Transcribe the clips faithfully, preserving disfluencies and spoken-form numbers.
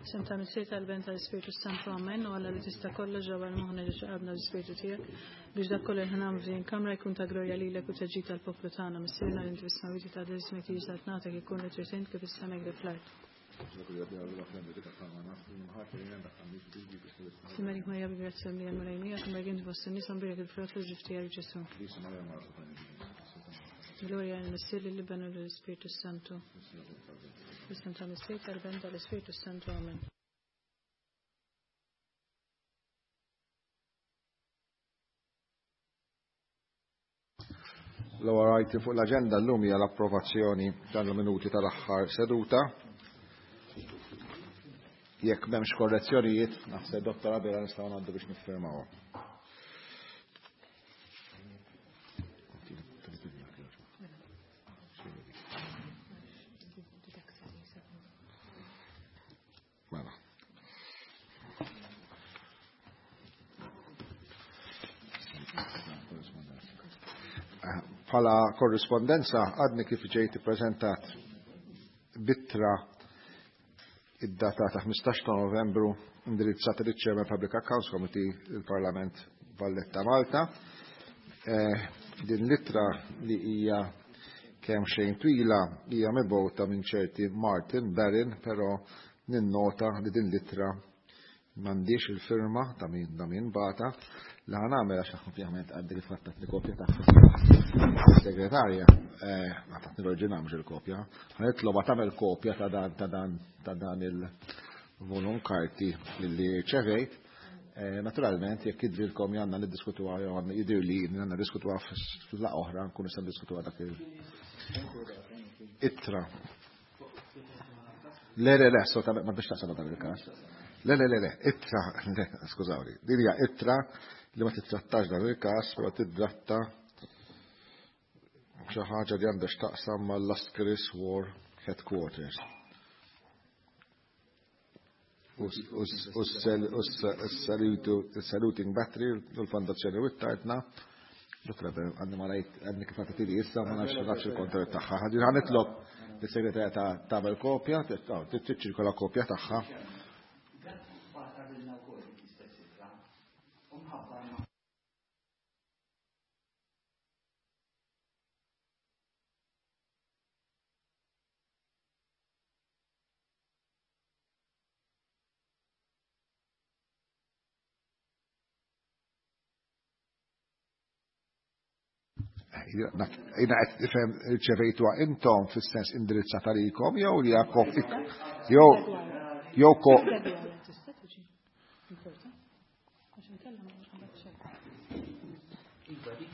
Sem ta' Missier tal-Ben tal-Ispirtu Santu Amen u Alla li tista' kollox ġewwa l-moħħna ġo qalbna l-Ispirtu tiegħek biex dak kollu li ħanam f'din kamra jkun ta' glorja lilek u ta' tal-poplu tagħna. Missierna li inti fis-smawwiet ta' ismek jiġi saltnatek ikun li trid int kif is-sema kif fl-art. Simerik Marija bi grazzja mlija l-Mulej miegħek, imma int fost in-nisa mbierek il-frott tal-ġuf tiegħek Ġesù. Gloria lill-Missier lill-Iben u lill-Ispirtu Santu. Isem ta' Missier tal-Ben tal-Ispirtu Santu. Amen. L-ewwel item fuq l-aġenda llum hija l-approvazzjoni tal-minuti tal-aħħar seduta. Jekk m'hemmx korrezzjonijiet, naħseb Dottor Abela nistgħu ngħaddu biex niffirmawha. Mela. Bħala korrispondenza għadni kif ġejt ippreżentat b'ittra id-data ta' ħmistax ta' Novembru indirizzata liċ Chairman Public Accounts Committee il-Parlament Valletta Malta. Eh, din l-ittra li hija kemm xejn twila hija mibgħuta minn ċerti Martin Barron, però ninnota li din l-ittra m'għandix il-firma ta' min ta' min bata. Li ħa nagħmel għax ovvjament għaddi li fattat li kopja tagħha segretarja, għatatni l-oriġinal mhux il-kopja. Ħa nitloba tagħmel kopja ta' dan ta' dan ta' dan il-volum karti li ċevejt. Naturalment, jekk jidrilkom għandna niddiskutuha jew għandna jidher li għandna niddiskutuha fil-laqgħa oħra, nkunu nistgħu niddiskutuha dak il-ittra. Le, le, le, assolutament, ma biex taqsam dan il-każ. Le, le, le, le, ittra, le, skużawni, din hija ittra li ma titrattax dan il-każ, però titratta xi ħaġa li għandha x'taqsam mal-Lascaris War Headquarters. U s-saluting battery u l-fondazzjoni u t-tartna. Dottor, għadni ma rajt, għadni kif għatatili issa, ma nafx nafx il-kontenut tagħha. Ħadin ħa nitlob lis-segretarja ta' tagħmel kopja, tiċċirkola kopja tagħha. Jina qed nifhem irċevejtuha intom fis-sens indirizzata lilkom jew li hija kopja jew jew ko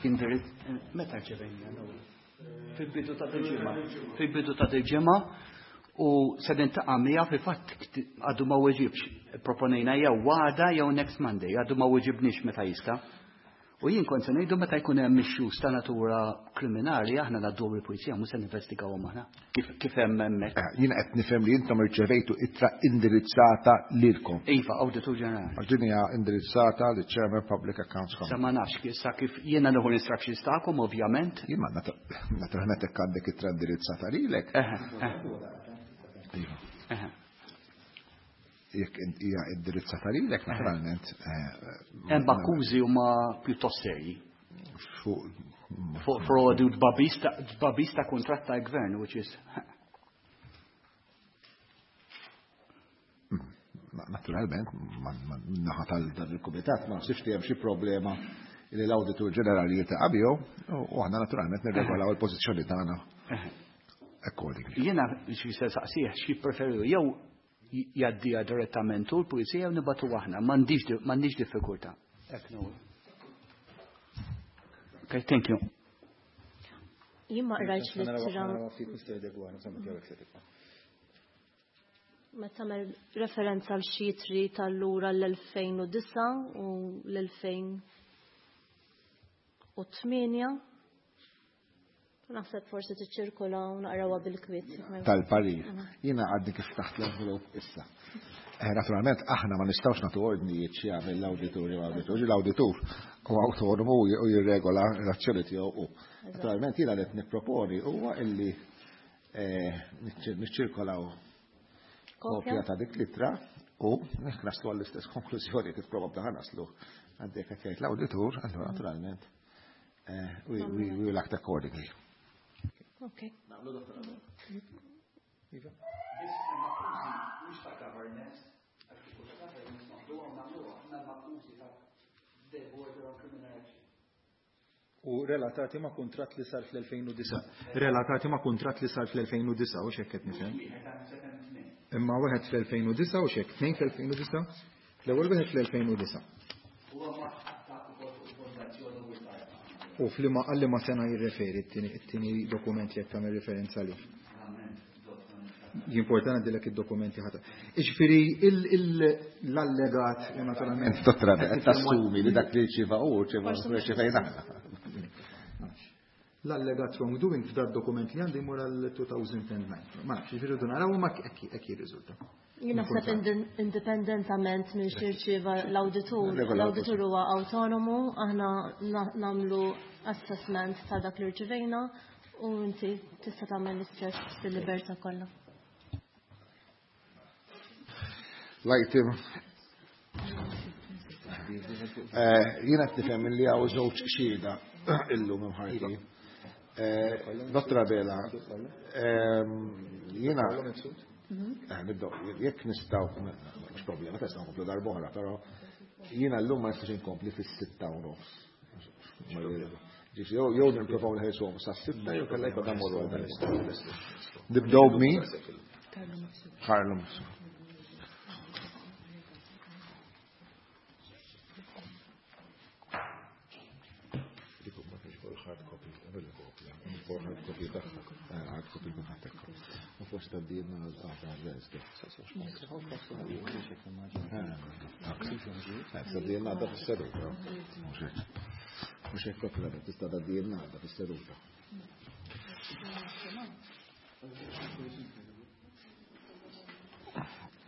Indirizz meta rċevejna l-ewwel? Fil-bidu ta' dil-ġimgħa. Fil-bidu ta' dil-ġimgħa u se niltaqa' miegħu fil-fatt għadu ma weġibx. Proponejna jew għada jew next Monday, għadu ma weġibniex meta jista'. U jien kont se ngħidu meta jkun hemm issues ta' natura kriminali aħna ngħaddu il-pulizija mhux se ninvestigawhom aħna. Kif, kif hemm hemmhekk. Eh, Jien qed nifhem li intom irċevejtu ittra indirizzata lilkom. Iva, Awditur Ġenerali. Għax din hija indirizzata liċ Chairman Public Accounts Sa Committee. ma nafx kif sa kif jiena nieħu l-instructions tagħkom ovvjament. Jien ma nat- naturalment hekk għandek ittra indirizzata lilek. Eħe, eħe. Iva. Eħe. Jekk hija indirizzata lilek, naturalment. eh, Hemm akkużi huma pjuttost serji. Fuq Fuq frodi u tbagħbis ta' tbagħbis ta' kuntratt tal-gvern, which is naturalment, naħa tal-dan il-kumitat ma nsibx li hemm xi problema li l-Awditur Ġenerali jiltaqa' miegħu u aħna naturalment nirregolaw il-pożizzjoni tagħna accordingly. Jiena xi se saqsih xi preferu jew jgħaddiha direttament u l-pulizija jew nibatu aħna, m'għandix m'għandix diffikultà. Hekk nagħmlu. Okay, thank you. Jien ma qrajtx l-ittra ma tagħmel referenza għal xi ittri tal-lura l-elfejn u disa' u l-elfejn u tmienja. Naħseb forsi tiċċirkola u naqrawha bil-kwiet. Tal-parir. Jiena għadni kif taħt l-envelope issa. Eh, naturalment, aħna ma nistgħux nagħtu ordnijiet xi jagħmel l-awditur jew awditur. L-awditur huwa autonomu u jirregola l-azzjoni tiegħu hu. Naturalment, jiena qed nipproponi huwa illi, eh, niċċirkolaw kopja ta' dik l-ittra U jekk naslu għall-istess konklużjoni kif probabbli ħa naslu għandek qed jgħid l-awditur, allura naturalment we, we, we will act accordingly. Okay. Iva. Mhux ta' governance, governance naħduha nagħmluha aħna l-akkużi ta' the border on criminal action. U relatati ma' kuntratt li sar fl-elfejn u disa'. Relatati ma' kuntratt li sar fl-elfejn u disa' u x'hekk qed nifhem. Imma wieħed fl-elfejn u disa' u x'hekk tnejn fl-elfejn u disa'? L-ewwel wieħed fl-elfejn u disa'. U f'liema għal liema sena jirreferi t-tieni dokument li qed tagħmel referenza lih. Jimporta ngħaddilek id-dokumenti ħadd. Iġifieri l-allegat naturalment. Dottor, qed tassumi li dak li rċieva hu rċieva rċevejna aħna. L-allegat wrongdoing f'dak dokument li għandi jmur għal two thousand and nine. Ma nafx, jiġifieri rridu naraw ma hekk jirriżulta. Jien naħseb indipendentament minn x'irċieva l-awditur, l-awditur huwa autonomu, aħna nagħmlu assessment ta' dak li rċivejna u inti tista' tagħmel l-istess fil-libertà kollha. L-item jiena qed nifhem li hawn żewġ xhieda illum imħarrkin. Dottor Abela, jiena nibdew jekk nistgħu mhux problema tista' nkomplu darb'oħra, però jiena llum ma nistax inkompli fis-sitta u nofs. Ġifieri jew nipprovaw nħelsuhom sas-sitta jew kellha jkollna mmorru għal dan. Nibdew b'min? Carlo Mifsud. Hard copy tagħha, hard copy minn ħadd. U forsi tgħaddilna għal għal-Wednesday. Tgħaddilna għadha fis-seduta. Mhux hekk. Mhux hekk propju tista' tgħaddilna għadha fis-seduta.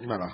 Mela.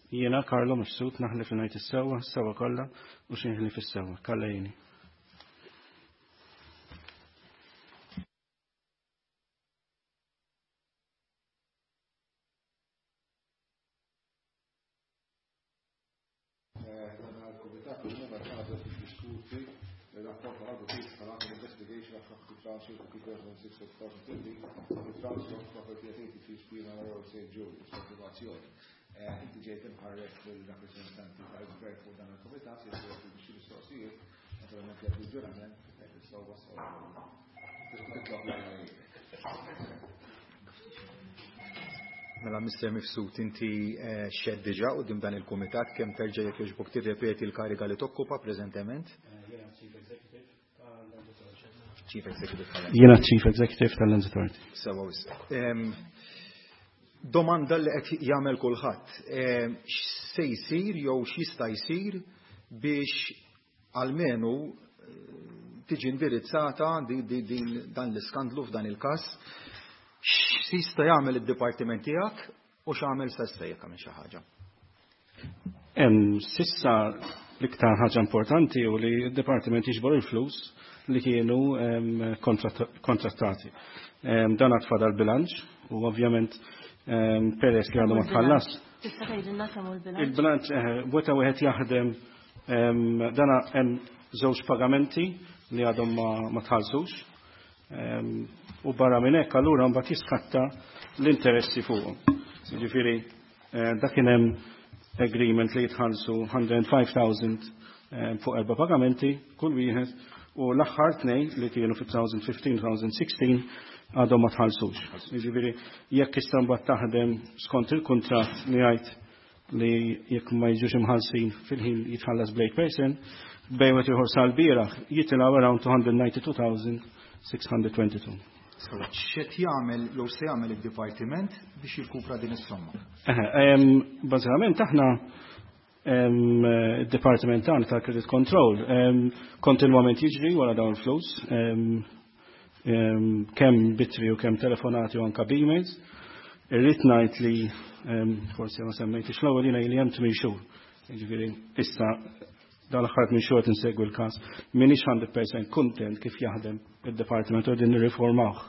Jiena Carlo Mifsud naħlef li ngħid is-sewwa, s-sewwa kollha u xi nħlif is-sewwa. Kalla jieni. Il-Kumitat illum qed nagħżel biex diskuti ir-rapport tal-Awditur tal-Investigation of Property Transfer two thousand six to two thousand thirteen, the transfer of property at eighty-three Spina Road Saint Julius, kontinuazzjoni. Inti ġejt imħarrek bil-rappreżentanti tal-gvern fuq dan il-kumitat, jekk xi mistoqsijiet, naturalment jekk il-ġurament, jekk is-sewwa sewwa. Titlob l-għajnuna. Mela Mister Mifsud, inti xed diġà quddiem dan il-kumitat, kemm terġa' jekk jogħġbok tirrepeti l-kariga li tokkupa preżentement? Chief Executive tal-Lands. Jiena Chief Executive tal-Lands Authority. Sewwa wisq. Domanda li qed jagħmel kulħadd, x'se jsir jew x'jista' jsir biex almenu tiġi indirizzata din dan l-iskandlu f'dan il-każ, x'jista' jagħmel id-dipartiment tiegħek u x'għamel s'issa jekk għamel xi ħaġa? Sissa l-iktar ħaġa importanti hu li d-dipartiment jiġbor il-flus li kienu kontrattati. Dan għad fadal bilanċ u ovvjament peress li għandu ma tħallas. Tista' tgħidilna kemm hu l-bilanċ? Il-bilanċ, weta wieħed jaħdem, dan hemm żewġ pagamenti li għadhom ma tħallsux. U barra minn hekk allura mbagħad jiskatta l-interessi fuqhom. Jiġifieri dak kien hemm agreement li jitħallsu hundred and five thousand fuq erba' pagamenti kull wieħed u l-aħħar tnejn li kienu fi two thousand fifteen, two thousand sixteen għadhom ma tħallsux. Jiġifieri jekk issa mbagħad taħdem skont il-kuntratt li jgħid li jekk ma jiġux imħallsin fil-ħin jitħallas bl-eight percent, bejn wieħed ieħor sal-bieraħ jitilgħu around two hundred ninety-two thousand six hundred twenty-two. X'qed jagħmel jew se jagħmel id-dipartiment biex jirkupra din is-somma? Eħe, bażikament aħna Id-Dipartiment tagħna tal-Credit Control kontinwament jiġri wara dawn il-flus, kemm b'ittri u kemm telefonati u anka b'emails. Irrid ngħid li forsi ma semmejtix l-ewwel, jiena li hemm tmien xhur. Jiġifieri issa dal-aħħar tmien xhur insegwi l-każ. M'iniex mija fil-mija kuntent kif jaħdem id-Dipartiment u din nirriformawh.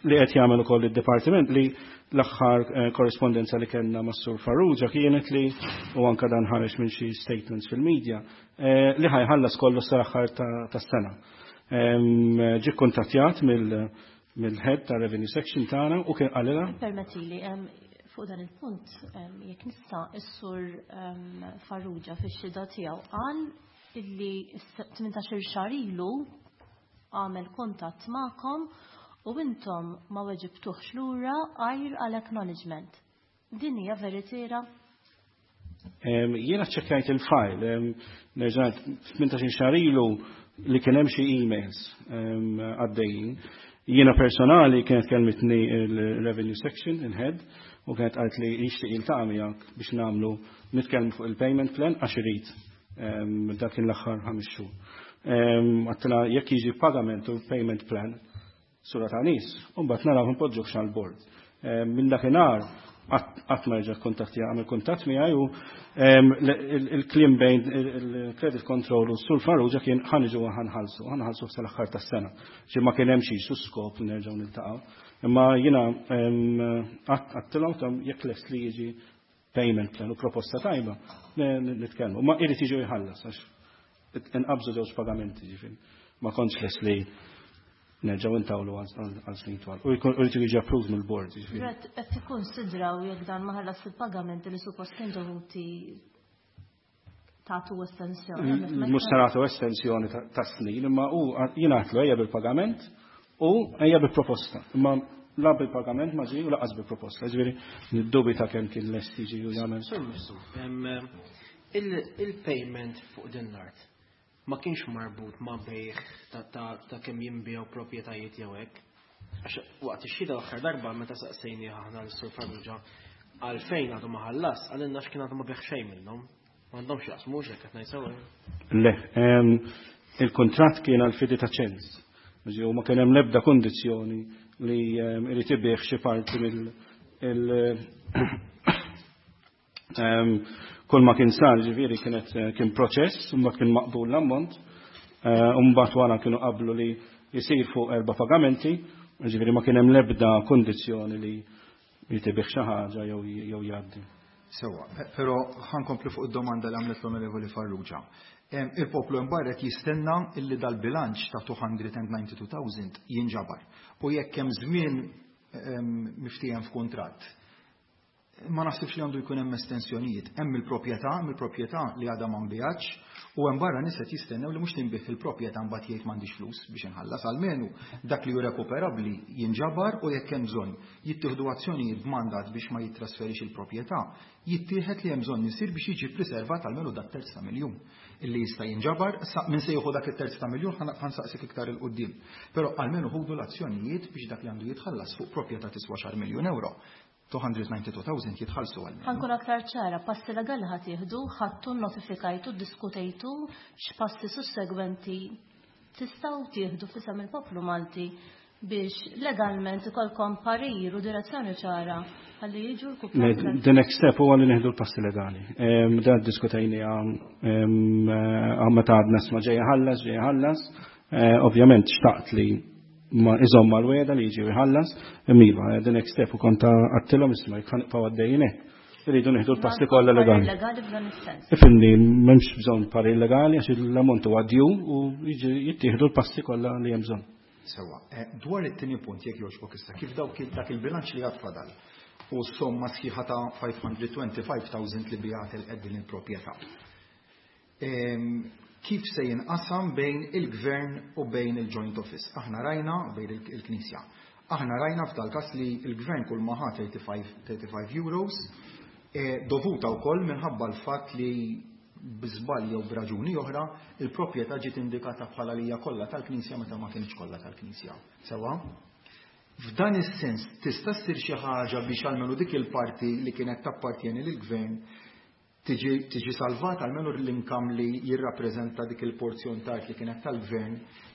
Li qed jagħmel ukoll id-Dipartiment, li l-aħħar eh, korrespondenza li kellna mas-Sur Farrugia kienet li, u anka dan ħareġ minn xi statements fil-medja, eh, li ħa jħallas kollu sal-aħħar tas-sena. Ġi kuntattjat mill-head ta' revenue section tagħna u kien qalilha. Permettili, fuq dan il-punt, jekk nista', is-Sur Farrugia fix-xhieda tiegħu qal illi tmintax-il xahar ilu għamel kuntatt magħkom u intom ma weġibtuħx lura għajr għal acknowledgement. Din hija veritiera? Jiena ċekkajt il-file, nerġa', tmintax-il xahar ilu li kien hemm xi emails għaddejjin. Jiena personali kienet kelmitni il-revenue section, il-head, u kienet qalt li jixtieq jiltaqa' miegħek biex nagħmlu nitkellmu fuq il-payment plan għax irid dak l-aħħar ħames xhur. Għedtilha jekk jiġi pagament u payment plan sura ta' nies, u mbagħad naraw npoġġuh għall-board. Minn dakinhar qatt ma reġa' kuntatti, għamel kuntatt miegħi, u il-kliem bejn il-credit control u s-Sur Farrugia kien ħa niġu ħa nħallsu, ħa nħallsu sal-aħħar tas-sena. Ġi ma kien hemm xi skop li nerġgħu niltaqgħu. Imma jiena għedtilhom tam jekk lest li jiġi payment plan u proposta tajba, nitkellmu. Ma irid jiġu jħallas għax inqabżu żewġ pagamenti, ġifieri. Ma kontx lest li nerġgħu intawlu għal snin twal. U jkun irid jiġi approved mill-board. Brett, qed tikkonsidraw jekk dan ma ħallas il-pagamenti li suppost kien dovuti tagħtu estensjoni? Mhux se nagħtu estensjoni ta' snin, imma u jiena għedtlu ejja bil-pagament u ejja bil-proposta. Imma la bil-pagament ma ġie u lanqas bil-proposta. Ġifieri niddubita kemm kien lest jiġi u jagħmel. Il-payment fuq din l-art ma kienx marbut ma' bejgħ ta' kemm jinbiegħu proprjetajiet jew hekk? Għax waqt ix-xhieda l-aħħar darba, meta saqsejni aħna l-Sur Farrugia għalfejn għadu ma ħallas, qalilna x'kien għadu ma biegħ xejn minnhom. M'għandhomx jaqsmu hekk qed ngħid sewwa? Le, il-kontratt kien għal fidi ta' ċens. U ma kien hemm l-ebda kondizzjoni li irid ibigħ xi parti mill kull ma kien sar, ġifieri kienet kien proċess, u kien maqbul l-ammont, u mbagħad wara kienu qablu li jisir fuq erba' pagamenti, ġifieri ma kien hemm l-ebda kondizzjoni li jtibih xi ħaġa jew jgħaddi. Sewwa, però ħa nkompli fuq id-domanda li għamlet l-Onorevoli Farrugia. Il-poplu imbarret jistenna illi dal-bilanċ ta' two hundred ninety-two thousand jinġabar. U jekk hemm żmien miftiehem f'kuntratt, ma naħsibx li għandu jkun hemm estensjonijiet. Hemm il-proprjetà, hemm il-proprjetà li għadha ma nbiegħetx, u hemm barra nies qed jistennew li mhux tinbiegħ il-proprjetà, mbagħad jgħid m'għandix flus biex inħallas. Almenu dak li hu rekuperabbli jinġabar, u jekk hemm bżonn jittieħdu azzjonijiet b'mandat biex ma jittrasferix il-proprjetà, jittieħed li hemm bżonn isir biex jiġi preservat almenu dak terz ta' miljun illi jista' jinġabar. Min se jieħu dak it-terz ta' miljun ħa nsaqsik iktar 'il quddiem. Però almenu ħudu l-azzjonijiet biex dak li għandu jitħallas fuq proprjetà tiswa xar miljun euro, two hundred ninety-two thousand jitħallsu għal. Ħa nkun aktar ċara, passi legali ħa tieħdu, ħadtu, notifikajtu, diskutejtu, x'passi sussegwenti tistgħu tieħdu f'isem il-poplu Malti biex legalment ikolkom parir u direzzjoni ċara ħalli jiġu l The next step huwa li nieħdu l-passi legali. Dan diskutejni meta għadna sma ġejja ħallas, ġejja ħallas. Eh, ovvjament xtaqt li ma iżomm mal-wegħda li jiġi jħallas, imma the next step u kont għedtilhom, isma', jekk ħa nibqgħu għaddejjin hekk, irridu nieħdu l-passi kollha legali. Legali f'dan is-sens. Ifhimni, m'hemmx bżonn parir legali għax l-ammont huwa due u jiġi jittieħdu l-passi kollha li hemm bżonn. Sewwa, eh, dwar it-tieni punt, jekk jogħġbok issa, kif dawk dak il-bilanċ li għad fadal u s-somma sħiħa ta' five hundred twenty-five thousand li biegħet il-din il-proprjetà, kif se jinqasam bejn il-gvern u bejn il-joint office? Aħna rajna bejn il-Knisja. Aħna rajna f'dal kas li il-gvern kull ma ħa thirty-five euros, eh, dovuta wkoll minħabba l-fatt li b'żball jew b'raġuni oħra il-proprjetà ġiet indikata bħala li hija kollha tal-Knisja meta ma kienx kollha tal-Knisja. Sewwa? F'dan is-sens tista' ssir xi ħaġa biex almenu dik il-parti li kienet tappartjeni lill-gvern Tiġi salvat almenu l-income li jirrappreżenta dik il-porzjon ta' art li kienet tal-gvern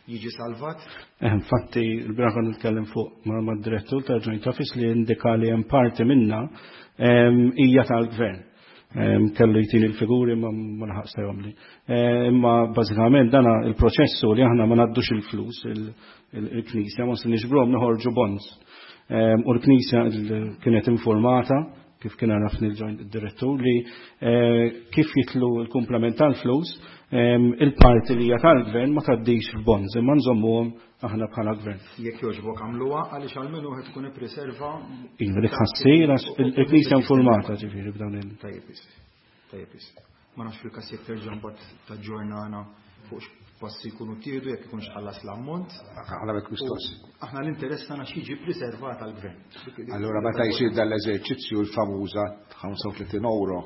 jiġi salvat? Eh, infatti, il-bieraħ kont nitkellem fuq ma' direttur ta' Joint Office li indika li hemm parti minna hija tal-gvern. Kellu jtini l-figuri ma ma laħaqx li. Imma bażikament dana il-proċessu li aħna ma ngħaddux il-flus il-Knisja, ma se niġbruhom noħorġu bonds. U l-Knisja kienet informata kif kien għarafni l-joint direttur li kif jitlu l-komplement tal-flus il-parti li hija tal-gvern ma tgħaddix f'bonds imma nżommuhom aħna bħala gvern. Jekk jogħġbok għamluha għaliex almenu qed tkun ippreserva. Iva, dik ħassir għax il-Knisja informata ġifieri b'dawn il. Tajjeb tajjeb Ma nafx fil-każ jekk terġa' mbagħad taġġornana fuq passi jkunu ttieħdu jekk ikunx ħallas l-ammont. Aħna bek mistoqsi. Aħna l-interess tagħna x'jiġi preservat għall-gvern. Allura meta jsir dan l-eżerċizzju l-famuża ħamsa u tletin euro,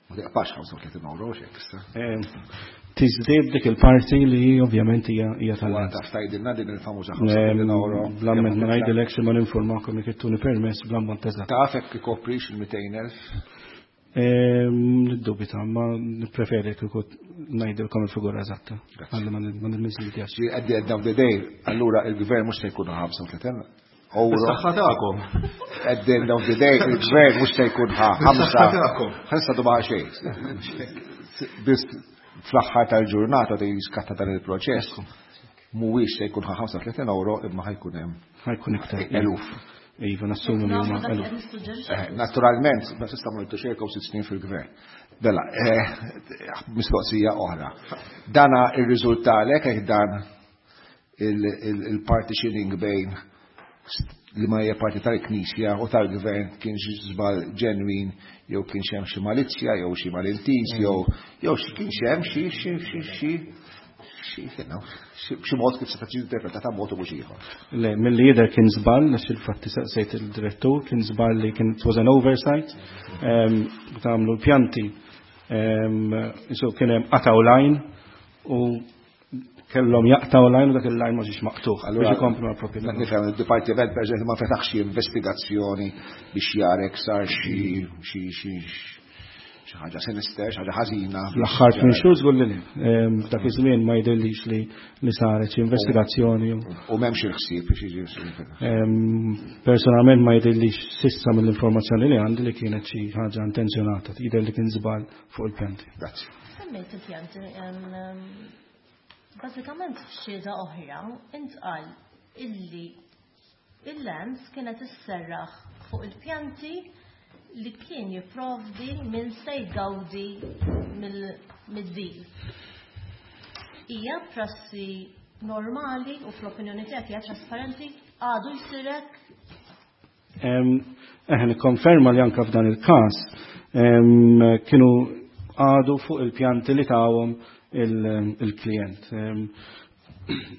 ma tiqpax ħamsa u tletin euro x'hekk issa. Tiżdied dik il-parti li ovvjament hija hija tal Taf tgħidilna din il-famuża ħamsa u tletin euro. Bl-ammont ma ngħidilekx imma ninformakom jekk ittuni permess bl-ammont eżatt. Taf hekk ikoprix il-mitejn elf? Niddubita, ma nippreferi kieku ngħidilkom il-figura eżatta. Għalli ma nmiżlidjax. At the end of the day, allura il-gvern mhux se jkun ħamsa u tletin euro. Bis-saħħa tagħkom. At the end of the day, il-gvern mhux se jkun ħamsa. Ħamsa duba xejn. Biss fl-aħħar tal-ġurnata li jiskatta dan il-proċess, mhuwiex se jkun ħamsa u tletin euro imma ħajkun hemm. Ħajkun iktar. Eluf. Iva, nassumu li huma eluf. Naturalment, ma tista' ma xejn sitt snin fil-gvern. Bella, mistoqsija oħra. Dana ir-riżultalek hekk dan il-partitioning bejn li ma hija parti tal-Knisja u tal-gvern kien xi żball ġenwin jew kien hemm xi malizzja jew xi malintiż jew jew xi kien hemm xi xi xi xi xi mod kif se tiġi interpretata mod u mhux ieħor. Le, milli jidher kien żball, għax il-fatti saqsejt il-direttur, kien żball li kien it was an oversight, tagħmlu l-pjanti, isu kien hemm qatgħu line u kellhom jaqtgħu line u dak il-line ma ġiex maqtuħ biex ikomplu mal-proprjetà. Nifhem id-dipartiment pereżempju ma fetaħx xi investigazzjoni biex jarek sar xi xi xi xi ħaġa sinister, xi ħaġa ħażina. L-aħħar tmien xhur żgur li le. F'dak iż-żmien ma jidhirlix li li saret xi investigazzjoni. U m'hemmx il-ħsieb biex jiġi. Personalment ma jidhirlix sissa mill-informazzjoni li għandi li kienet xi ħaġa intenzjonata, jidher li kien żball fuq il-pjanti. Grazzi. Semmejt il-pjanti, bażikament f'xhieda oħra intqal illi il-lands kienet isserraħ fuq il-pjanti li kien jipprovdi minn se jgawdi mid-deal. Hija prassi normali u fl-opinjoni tiegħek hija trasparenti għadu jsirek? Eh, nikkonferma li anke f'dan il-każ kienu għadu fuq il-pjanti li tawhom il-klient.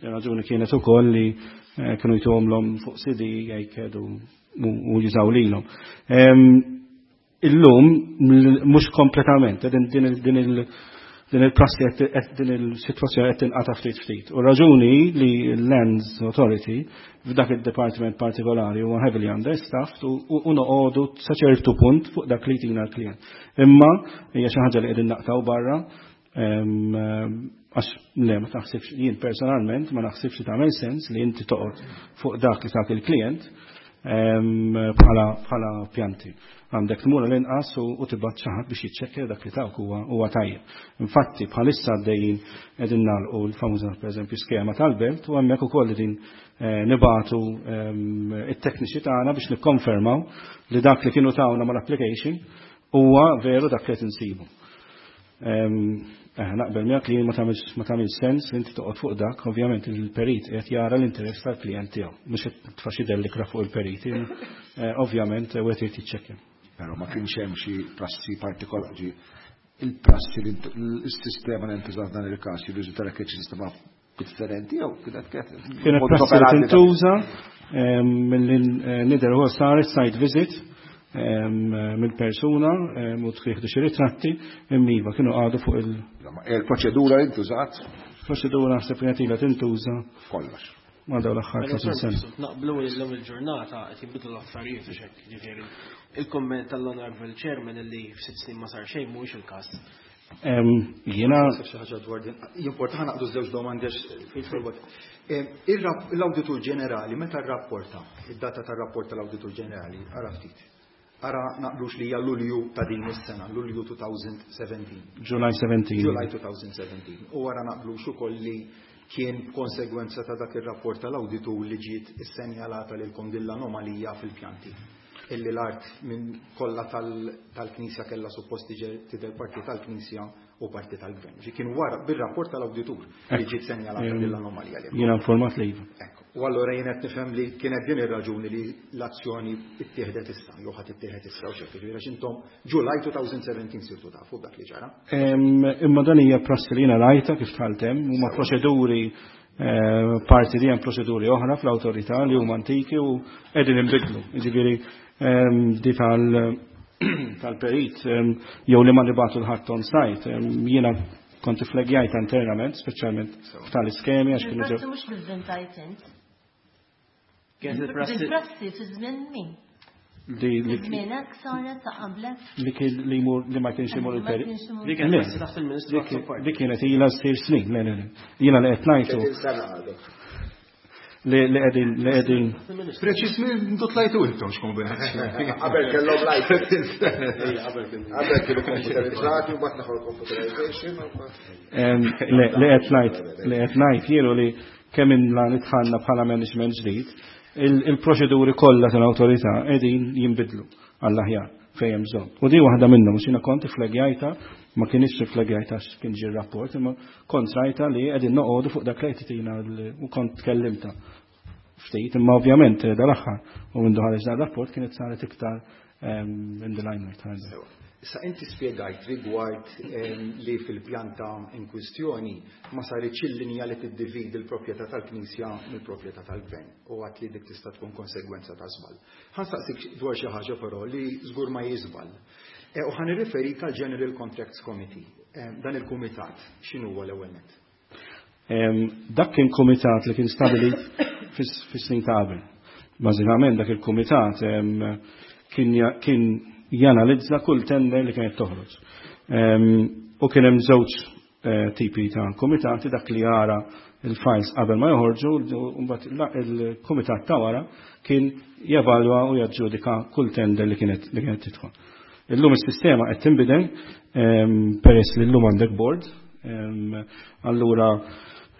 Ir-raġuni kienet ukoll li kienu jtuhomlhom fuq C D jgħid u jużaw lilhom. Illum mhux kompletament din din il-prassi din il-sitwazzjoni qed tinqata' ftit ftit. U raġuni li l-Lands Authority f'dak id-department partikolari huwa heavily understaffed u noqogħdu sa ċertu punt fuq dak li jtina l-klient. Imma hija xi ħaġa li qegħdin naqtaw barra għax le ma taħsibx jien personalment ma naħsibx li tagħmel sens li inti toqgħod fuq dak li tak il-klient bħala pjanti. Għandek tmur l-inqas u tibgħat xi ħadd biex jiċċekkja dak li tawk huwa tajjeb. Infatti bħalissa għaddejjin qegħdin nagħlqu l-famuża pereżempju skema tal-belt u hemmhekk ukoll qegħdin nibatu it-tekniċi tagħna biex nikkonfermaw li dak li kienu tawna mal-application huwa veru dak li qed insibu. Naqbel miegħek li ma tagħmilx sens li inti toqgħod fuq dak, ovvjament il-perit qed jara l-interess tal-klijent tiegħu, mhux qed tfa' xi dellikra fuq il-periti, ovvjament wieħed irid jiċċekkja. Però ma kienx hemm xi prassi partikolari, il-prassi li s-sistema li ntużat f'dan il-każ jirriżulta kien xi sistema differenti jew kienet kienet prassi li tintuża milli nidher huwa saret site visit mill-persuna u tieħdu xi ritratti imma iva kienu qagħdu fuq il Il-proċedura li ntużat? Proċedura naħseb kienet ilha tintuża. Kollox. ma' dawn l-aħħar tletin sena. Naqblu li llum il-ġurnata qed jinbidlu l-affarijiet u hekk, ġifieri. Il-komment tal-Honorable Chairman li f'sitt snin ma sar xejn mhuwiex il-każ. Jiena xi ħaġa dwar din. Jimporta ħa naqdu żewġ domandi għax l-Awditur Ġenerali meta rrapporta, id-data tar-rapport tal-Awditur Ġenerali, ara ftit. Ara naqblux li hija Lulju ta' din is-sena, Lulju twenty seventeen. July seventeen. July twenty seventeen. U ara naqblux ukoll li kien konsegwenza ta' dak ir-rapport tal-awditur li ġiet issenjalata lilkom din l-anomalija fil-pjanti. Illi l-art minn kollha tal-Knisja kellha suppost tidher parti tal-Knisja u parti tal-Gvern. Ġi kien wara bir-rapport tal-awditur li ġiet senjalata din l-anomalija li. Jiena informat li iva. U allura jien qed nifhem li kienet din ir-raġuni li l-azzjoni ittieħdet issa, jew ħadd ittieħed issa u xejn, ġifieri għax intom July twenty seventeen sirtu tafu dak li ġara. Imma dan hija prassi li jiena rajta kif dħalt hemm, huma proċeduri, eh, parti di hemm proċeduri oħra fl-awtorità li huma antiki u qegħdin inbidlu. Jiġifieri di tal tal-perit jew li ma nibagħtu 'l ħadd on site, jiena kont iflagjajt internament, speċjalment f'tal-iskemi għax kienu ġew. Mhux bil-vintajt int. Kienet il-prassi. Il-prassi fi żmien min? Li li Żmienek saret ta' qablek? Li kien li jmur li ma kienx imur Ma il-perit. kienx imur. Li kienet Le, prassi taħt il-Ministru Dik Azzopardi. Dik kienet ilha ssir snin, le, le, le. Jiena li qed ngħidu Sena għadek. li li qegħdin li qegħdin Preċis minn tlajtu intom x'kombinazzjoni. Qabel kellhom lajt. Qabel kien. Qabel kienu computerizzati u mbagħad neħu computerization u mbagħad- Em, li li qed ngħid li qed ngħid jielu li kemm inla nidħalna bħala management ġdid, il- il-proċeduri kollha tal-awtorità qegħdin jinbidlu għall-aħjar fejn hemm bżonn. U di waħda minnhom, għax jiena kont iflagjajta, ma kienx iflagjajta għax kien ġie rapport, imma kont rajta li qegħdin noqogħdu fuq dak li qed titina l- u kont tkellimta ftit, imma ovvjament eh, dal-aħħar u minn ħareġ dan rapport kienet saret iktar em, in the limelight. Issa inti spjegajt rigward em, li fil-pjanta in kwistjoni ma saritx il-linja li tiddividi l-proprjetà tal-Knisja mill-proprjetà tal-Gvern u għedt li dik tista' tkun konsegwenza ta' żball. Ħa nsaqsik dwar xi ħaġa però li żgur ma jiżball. E, U ħa nirriferik għal General Contracts Committee. Em, Dan il-kumitat x'inhu huwa l-ewwel nett? Em, Dak kien komitat li kien stabilit fis- fis-snin ta' qabel. Bażikament dak il-kumitat em, kien ja- kien janalizza kull tender li kienet toħroġ. Em, U kien hemm żewġ eh, tipi ta' komitati, dak li jara il-files qabel ma joħorġu u mbagħad la- il-kumitat ta' wara kien jevalwa u jaġġudika kull tender li kienet li kienet tidħol. Illum is-sistema qed tinbidel em, peress li llum għandek board, em, allura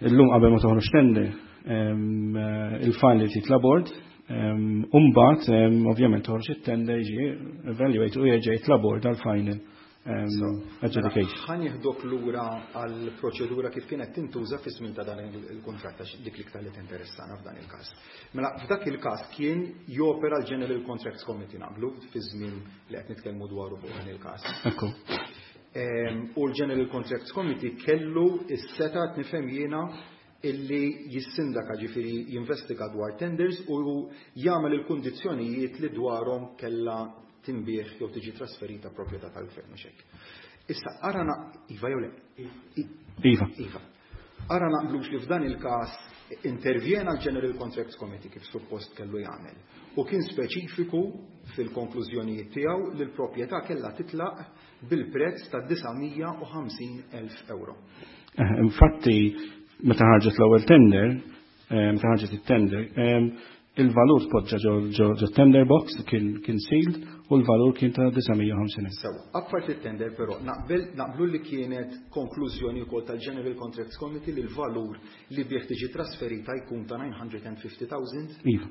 illum qabel ma toħroġ tender em, eh, il-file li titla board, em, u mbagħad em, ovvjament toħroġ it-tender, jiġi evaluate u jerġa' jitla board għal final em, adjudication. Ħa nieħdok lura għal proċedura kif kienet tintuża fi żmien ta' dan il-kontratt, għax dik l-iktar li tinteressana f'dan il-każ. Mela f'dak il-każ kien jopera l-General Contracts Committee, naqblu, fi żmien li qed nitkellmu dwaru fuq dan il-każ. Ekku. Em, U l-General Contracts Committee kellu is-setgħa, nifhem jiena, illi jissindaka, ġifieri jinvestiga dwar tenders u jagħmel il-kundizzjonijiet li dwarhom kella tinbiegħ jew tiġi trasferita proprjetà tal-gvern, mhux hekk? Issa ara na iva jew le? I- Iva. Iva. Ara naqblux li f'dan il-każ intervjena l-General Contracts Committee kif suppost kellu jagħmel u kien speċifiku fil-konklużjonijiet tiegħu li l-proprjetà kellha titlaq bil-prezz ta' disa' mija u ħamsin elf euro. Eh, Infatti, meta ħarġet l-ewwel tender, eh, meta ħarġet it-tender, em, il-valur tpoġġa ġo ġo ġo tender box kien kien sealed u l-valur kien ta' disa' mija u ħamsin elf. Sewa, apparti it-tender però, naqbel naqblu li kienet konklużjoni wkoll tal-General Contracts Committee li l-valur li bih tiġi trasferita jkun ta' nine hundred and fifty thousand? Iva.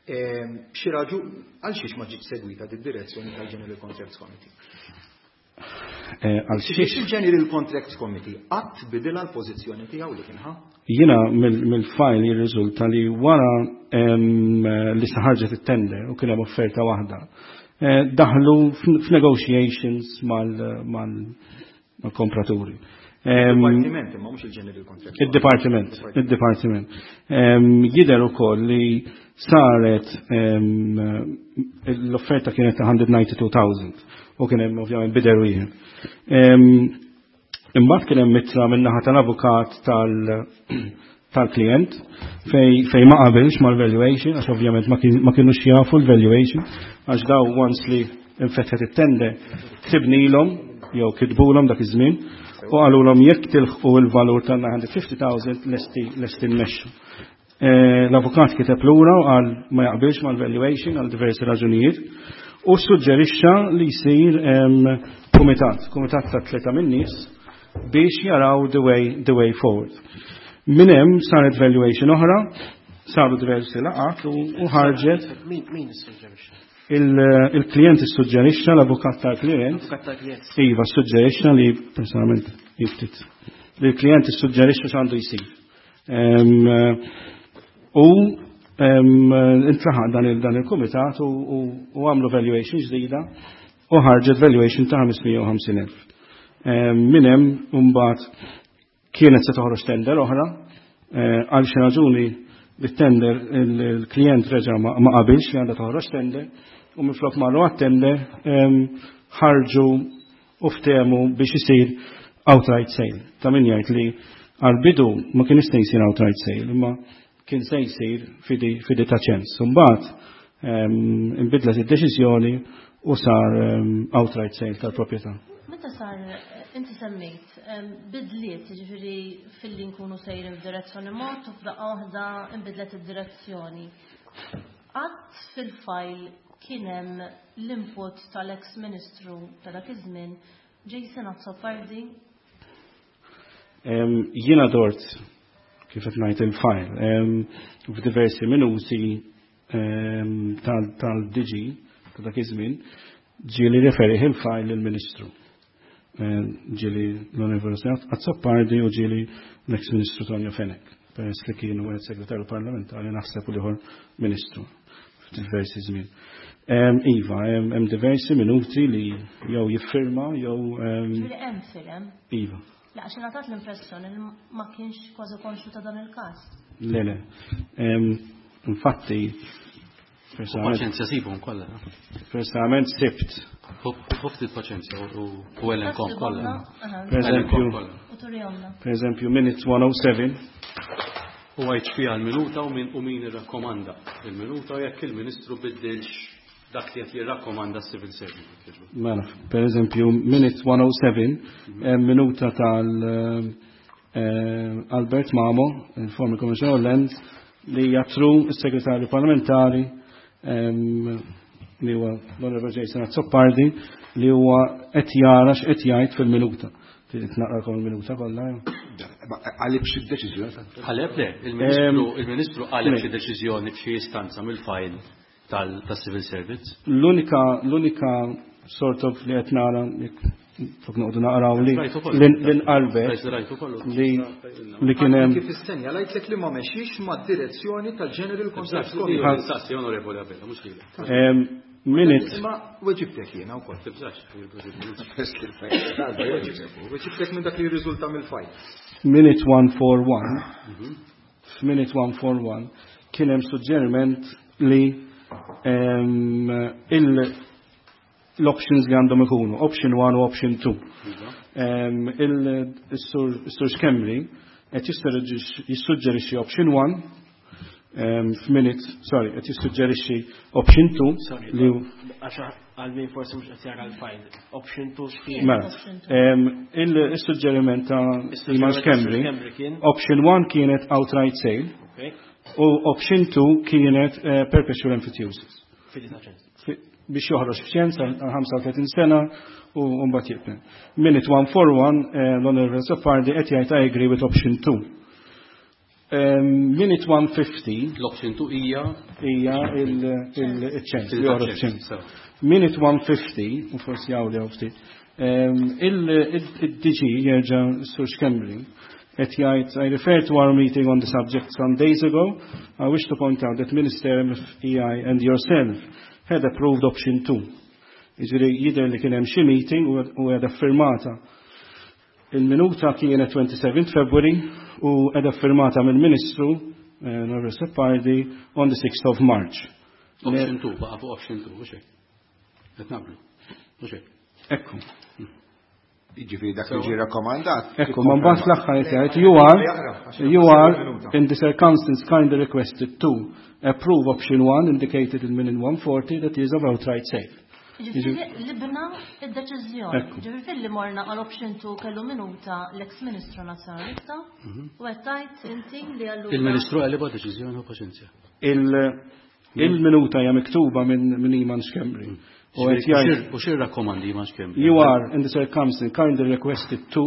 Ehm, Xi raġu għal xiex ma ġietx segwita di direzzjoni tal-General Contracts Committee? Eh, Għal Xiex xiex il-General Contracts Committee qatt bidilha l-pożizzjoni tiegħu li kien ħa? Jiena mill-file jirriżulta li wara em, li ħarġet it-tender u kien hemm offerta waħda, eh, daħlu f'negotiations mal-kompraturi. Em, Dipartiment imma mhux il-General Contracts. Il-Departiment, il-Departiment. Em, Jidher ukoll li saret em, l-offerta kienet ta' one hundred ninety-two thousand u kien hemm ovvjament bidder wieħed. Em, Imbagħad kien hemm ittra min-naħa tal-avukat tal tal-klient fej, fej ma qabilx mal-valuation, għax ovvjament ma kien- ma kienux jafu l-valuation, għax daw once li infetħet it-tender ktibnilhom jew kitbulhom dak iż-żmien u qalulhom jekk tilħqu il-valur ta' nine hundred fifty thousand lesti lesti nmexxu. Eh, L-avukat kiteb lura u qal ma jaqbilx mal-valuation għal diversi raġunijiet u suġġerixxa li jsir em, kumitat, kumitat ta' tlieta min-nies biex jaraw the way, the way forward. Minn hemm saret valuation oħra, saru diversi laqgħat u u ħarġet Min min issuġġerixxa? il- il-klient issuġġerixxa, l-avukat tal-klient. Avukat tal-klient. Iva, suġġerixxa li personalment jiftit. Li l-klient issuġġerixxa x'għandu jsir. Em, U em, intlaħaq dan il- dan il-kumitat u u- u għamlu valuation ġdida u ħarġet valuation ta' ħames mija u ħamsin elf. Minn hemm mbagħad kienet se toħroġ tender oħra, eh, għal xi raġuni bit-tender il-klient reġa' ma ma qabilx li għandha toħroġ tender u minflok marru għat-tender em, ħarġu u ftehmu biex isir outright sale. Ta' min jgħid li għal-bidu ma kien jista' jsir outright sale, imma kien se jsir fidi, fidi ta' ċens. Mbagħad em, inbidlet id-deċiżjoni u sar em, outright sale tal-proprjetà. Meta sar, inti semmejt, em, bidliet, ġifieri filli nkunu sejrin f'direzzjoni mod u f'daqqa waħda inbidlet id-direzzjoni. Qatt fil-fajl kien hemm l-input tal-ex-ministru ta' dak iż-żmien Jason Azzopardi? Em, Jiena dort kif qed ngħid il-file em, f'diversi minuti em, tal- tal-D G ta' dak iż-żmien ġieli referi il-file lill-Ministru. Em, Ġieli l-Onorevoli Azzopardi u ġieli l-ex-Ministru Tonio Fenech, peress li kienu għed segretarju parlamentari naħseb u l-ieħor Ministru f'diversi żmien. Em, Iva, hemm hemm diversi minuti li jew jiffirma jew em, Ġifieri hemm firem. Iva. La, għax ngħatat l-impressjoni li ma kienx kważi konxju ta' dan il-każ. Le, le. Em, Infatti, U personalment, paċenzja sibhom kollha. personalment sibt, Ħu ftit paċenzja u u elenkom kollha. Per eżempju, U turihomna. Per eżempju, minute one oh seven, U għajt fiha l-minuta u min u min irrakkomanda il-minuta u jekk il-Ministru biddilx dak li qed jirrakkomanda s-civil servant. Mela, per eżempju, minute one oh seven, em, minuta tal eh, Albert Mamo, il-former Commissioner Land, li jatru il-segretarju parlamentari em, li huwa l-Onorevole Jason Azzopardi li huwa qed jara x'qed jgħid fil-minuta. Trid naqrakom il-minuta kollha, jew? Għalib xi deċiżjoni ta' Qaleb le, il-Ministru il-Ministru qaleb le. xi deċiżjoni f'xi istanza mill-file tal-civil service. L-unika l-unika sort of li qed nara jekk fuq noqogħdu naqraw li Rajtu kollu. li nqalbet Rajtu rajtu kollu. li li kien hemm Kif issenja, lajtlek li ma mexix ma' direzzjoni tal-General Contracts Committee. Sassi, Onorevoli Abela, mhux lilek. em, minute Ma weġibtek jiena wkoll. Tibżax. Weġibtek minn dak li jirriżulta mill-fajl. Minute one forty-one, f'minute one forty-one kien hemm suġġeriment li em, il l-options li għandhom ikunu, option one u option two. Em, Il-Sur Sur Schembri qed jissuġġerixxi option one em, f'minute, sorry, qed jissuġġerixxi option two Sorry, li għax għal min forsi mhux qed jara l-file. Option two x'kien? Mela, em, il-suġġeriment ta' Iman Schembri, Schembri kien. Option one kienet outright sale Okay. u option two kienet eh, perpetual emphyteusis. Fidi ta' ċens. Fi- biex joħroġ f'ċens għal ħamsa u tletin sena u mbagħad jibqa'. Minute one forty-one, eh, l-Onorevole Azzopardi qed jgħid, "I agree with option two" Um, minute one fifty L-option two hija hija il-ċens, li joħroġ f'ċens. Sew. Minute one fifty, u forsi għawli għaw ftit, il-D G jerġa' Sur Schembri qed jgħid, "I refer to our meeting on the subject some days ago. I wish to point out that Minister M F E I and yourself had approved option two" Jiġifieri jidher li kien hemm xi meeting u u għedha firmata. Il-minuta kienet twenty-seventh February u għedha firmata mill-Ministru eh, Norbert Azzopardi on the sixth of March. Option two, baqa' fuq option two, mhux hekk. Qed naqblu. Mhux hekk. Ekku. Jiġifieri dak li ġie rakkomandat. Ekku, ma mbagħad fl-aħħar qed jgħid you are you are in the circumstance kindly requested to approve option one indicated in minute one forty that is of outright sale. Ġifieri libna id-deċiżjoni. Ekku. Ġifieri filli morna għal option two kellu minuta l-ex-Ministru Nazzjonalista u qed tgħid inti li allura Il-Ministru għaliba deċiżjoni u paċenzja. Il- Il-minuta hija miktuba minn min Iman Schembri. U qed jgħid U xir rakkomandi Iman Schembri? You are in the circumstance kindly requested to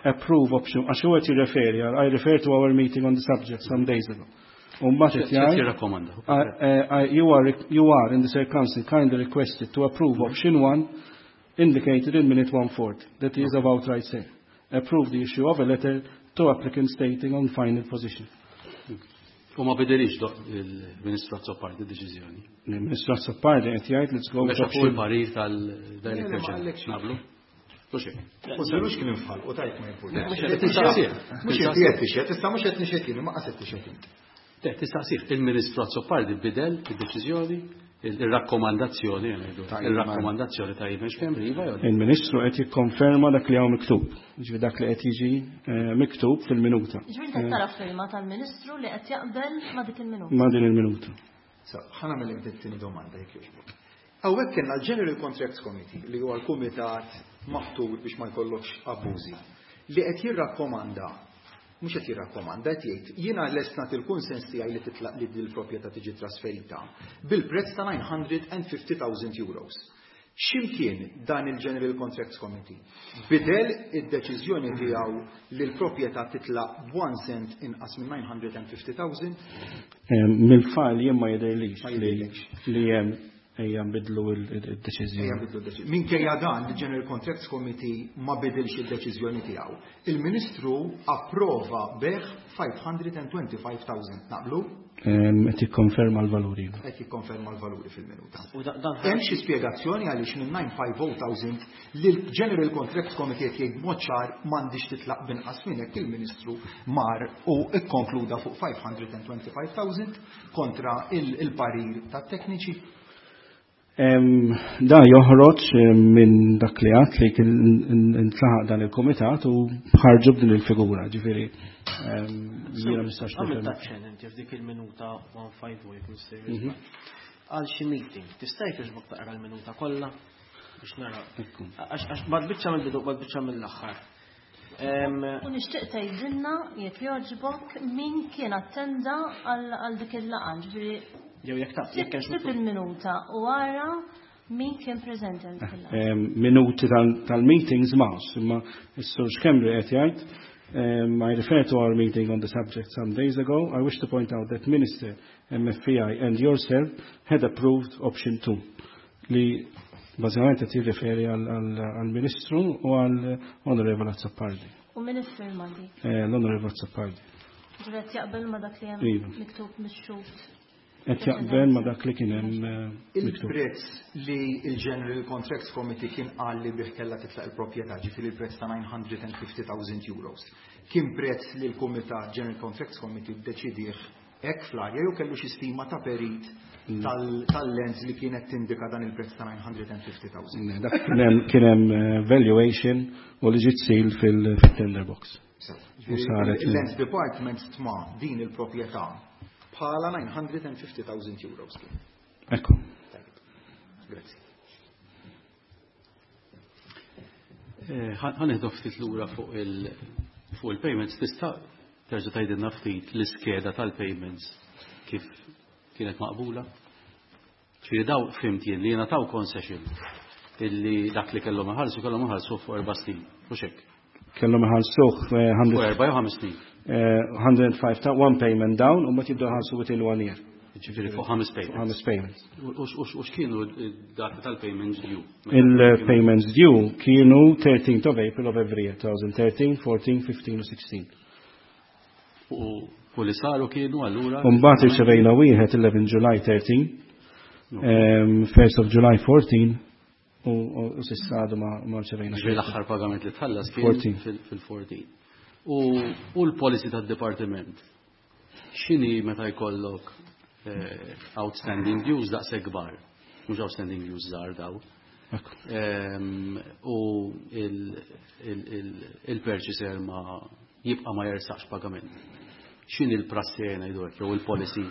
approve option għax huwa qed jirreferi għal I refer to our meeting on the subject some days ago. U mbagħad qed X'qed jgħid jirrakkomanda? I- I- you are you are in the circumstance kindly requested to approve option one indicated in minute one forty that is of outright sale. Approve the issue of a letter to applicant stating on final position. U ma bidilix do- il-Ministru Azzopardi deċiżjoni. Il-Ministru Azzopardi qed jgħid let's go with Mexa fuq option il-parir tal-Director Le, le, ma General. qalekx. Naqblu? U xek. U żilux kien infħal, u tajt ma jimpurtax. Mhux qed tistaqsih. Mhux qed qed tixhed, issa mhux qed nixhed jien, ma qas qed tixhed int. Le, tistaqsih, il-Ministru Azzopardi bidel id-deċiżjoni, il-rakkomandazzjoni, ngħidu, Ta' Ivan. il-rakkomandazzjoni ta' Ivan Schembri, iva jew le? Il-Ministru qed jikkonferma dak li hawn miktub, ġifieri dak li qed jiġi eh, miktub fil-minuta. Ġifieri qed tara firma tal-Ministru li qed jaqbel ma' dik il-minuta. Ma' din il-minuta. So, ħa nagħmel it-tieni domanda jekk jogħġbok. Hawnhekk kellna l-General Contracts Committee li huwa l-kumitat maħtur biex ma jkollokx abbużi li qed jirrakkomanda mhux qed jirrakkomanda qed jgħid jiena lest nagħti l-kunsens tiegħi li titlaq li din il-proprjetà tiġi trasferita bil-prezz ta' nine hundred and fifty thousand euros. X'imkien dan il-General Contracts Committee bidel id-deċiżjoni tiegħu li l-proprjetà titlaq b'one cent inqas minn nine hundred and fifty thousand? Mill-file jien ma jidhirlix Ma li jidhirlix. li hemm ejja nbidlu il-deċiżjoni. Ejja nbidlu d-deċiżjoni. Minkejja dan, il-General Contracts Committee ma bidilx id-deċiżjoni tiegħu. Il-Ministru approva beħ five hundred and twenty-five thousand. Naqblu? Ehm, qed jikkonferma l-valuri. Qed jikkonferma l-valuri fil-minuta. U da-, dan Hemm xi spjegazzjoni għaliex minn nine five oh thousand li l-General Contracts Committee qed jgħid b'mod ċar m'għandix titlaq binqas minn hekk il-Ministru mar u kkonkluda fuq five hundred and twenty-five thousand kontra il-, il-parir tat-tekniċi. Em, da joħroġ, em, minn dak li għad li kien intlaħaq dan il-komitat u ħarġu b'din il-figura, ġifieri, em, jiena ma nistax Għamil nifhem. taċċen inti f'dik il-minuta one five oh jekk mister Mhm. Għal xi meeting, tista' jekk jogħġbok taqra l-minuta kollha biex nara. Ekku. Għax, għax bad biċċa mill-bidu, bad biċċa mill-aħħar. Em, U nixtieq tgħidilna jekk jogħġbok min kien attenda għal, għal dik il-laqgħa, ġifieri Jew jekk taf, jekk hemmx Sib miktub. il-minuta u ara min kien preżenti għal dik il-laqgħa. Em, minuti tal-, tal-meetings m'hawnx, imma s-Sur Schembri qed jgħid, em, I refer to our meeting on the subject some days ago. I wish to point out that Minister M F I and yourself had approved option two. Li bażikament qed jirriferi għal-Ministru u għall-Onorevole Azzopardi. U min iffirma dik? Eh, L-Onorevole Azzopardi. Ġifieri qed jaqbel ma' dak li hemm Iva. miktub mix-xhud. Qed jaqbel ma' dak li kien hemm, eh, miktub. Il-prezz li il-General Contracts Committee kien qal li bih kellha titlaq il-proprjetà, ġifieri il-prezz ta' nine hundred and fifty thousand euros. Kien prezz li l-Kumitat General Contracts Committee ddeċidih hekk fl-arja jew kellu xi stima ta' perit Mm. tal-, tal-lens li kienet tindika dan il-prezz ta' nine hundred and fifty thousand. Ne, dak kien hemm, kien hemm, eh, valuation u li ġiet seal fil-, fil-tender box. So, U saret il-Lands Department stma din il-proprjetà bħala nine hundred and fifty thousand euros kien. Ekku. Tajjeb. Grazzi. Eh, ħa-, ħa nieħdu ftit lura fuq il-, fuq il-payments. Tista' terġa' tgħidilna ftit l-iskeda tal-payments kif kienet maqbula? Ġifieri daw fhimt jien li jingħataw concession illi dak li kellhom iħallsu kellhom iħallsu fuq erba' snin, mhux hekk? Kellhom iħallsuh, eh, hundred Fuq erba' jew ħames snin. Eh, hundred and five ta' one payment down u mbagħad jibdew iħallsu within one year. Ġifieri fuq ħames payments. Ħames payments. U, u, u, u x'kienu d-dati tal-payments due? Il-payments due kienu thirteenth of April of every year, twenty thirteen, fourteen, fifteen u sixteen. U, u li saru kienu allura? U mbagħad irċevejna wieħed eleven July thirteen, em, first of July fourteen, u, u, u s'issa għadu ma, ma rċevejna Ġifieri xejn. l-aħħar pagament li tħallas kien Fourteen. fil-, fil-fourteen. U, u l-policy tad-dipartiment, x'inhi meta jkollok, eh, outstanding dues daqshekk kbar, mhux outstanding dues żgħar daw, U il-purchaser ma jibqa' ma jersaqx pagament. X'inhi l-prassi ngħidu hekk jew il-policy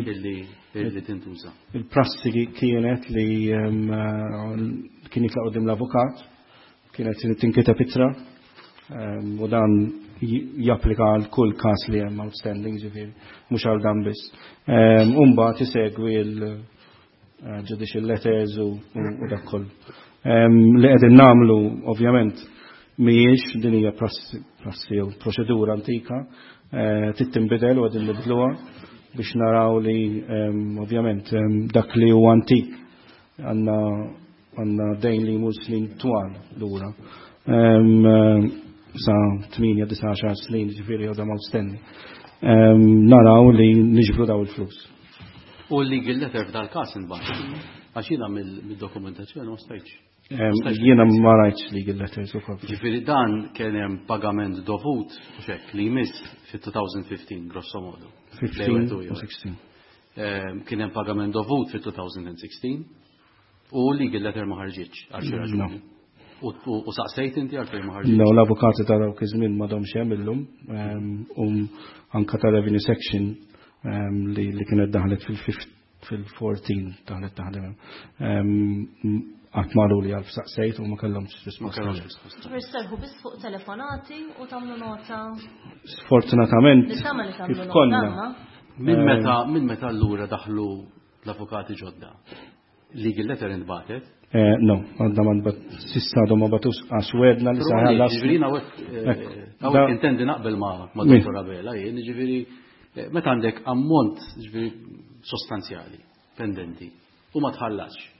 illi tintuża? Il-prassi kienet li kien jitlaq quddiem l-avukat, kienet tinkiteb ittra, u dan japplika għal kull każ li hemm outstanding, ġifieri, mhux għal dan biss. U mbagħad isegwi l-judicial letters u dak kollu. Li qegħdin nagħmlu ovvjament mhijiex din hija prassi jew proċedura antika, trid tinbidel u qegħdin nibdluha biex naraw li ovvjament dak li huwa antik għandna għandna dejn li jmur snin twal lura. Sa tmienja, disa', għaxar snin, ġifieri għadhom outstanding. Naraw li niġbru daw il-flus. U l-legal letter f'dal-każ inbagħat. Għax jiena mid-dokumentazzjoni ma stajtx. Jiena ma rajtx legal letters ukoll. Ġifieri dan kien hemm pagament dovut xek li jmiss fit-twenty fifteen grosso modo. fifteen u sixteen. Kien hemm pagament dovut fit-twenty sixteen u legal letter ma ħarġitx għal xi raġuni. U saqsejt inti għalfejn ma ħarġitx? No, l-avukati ta' dawk iż-żmien m'għadhomx hemm illum, u anka ta' revenue section li kienet daħlet fil-fourteen daħlet taħdem. Qatt ma li għalf saqsejt u ma kellhomx risposta. Ma kellhomx risposta. Ġifieri sserħu biss fuq telefonati u tagħmlu nota. Sfortunatament kif konna. Minn meta minn meta allura daħlu l-avukati ġodda? Legal letter intbagħtet? No, għadna ma nbat, sissa għadhom ma batux għax wedna li saħallas. Ġifieri hawnhekk intendi naqbel ma' Dottor Abela, jien ġifieri meta għandek ammont ġifieri sostanzjali pendenti u ma tħallasx.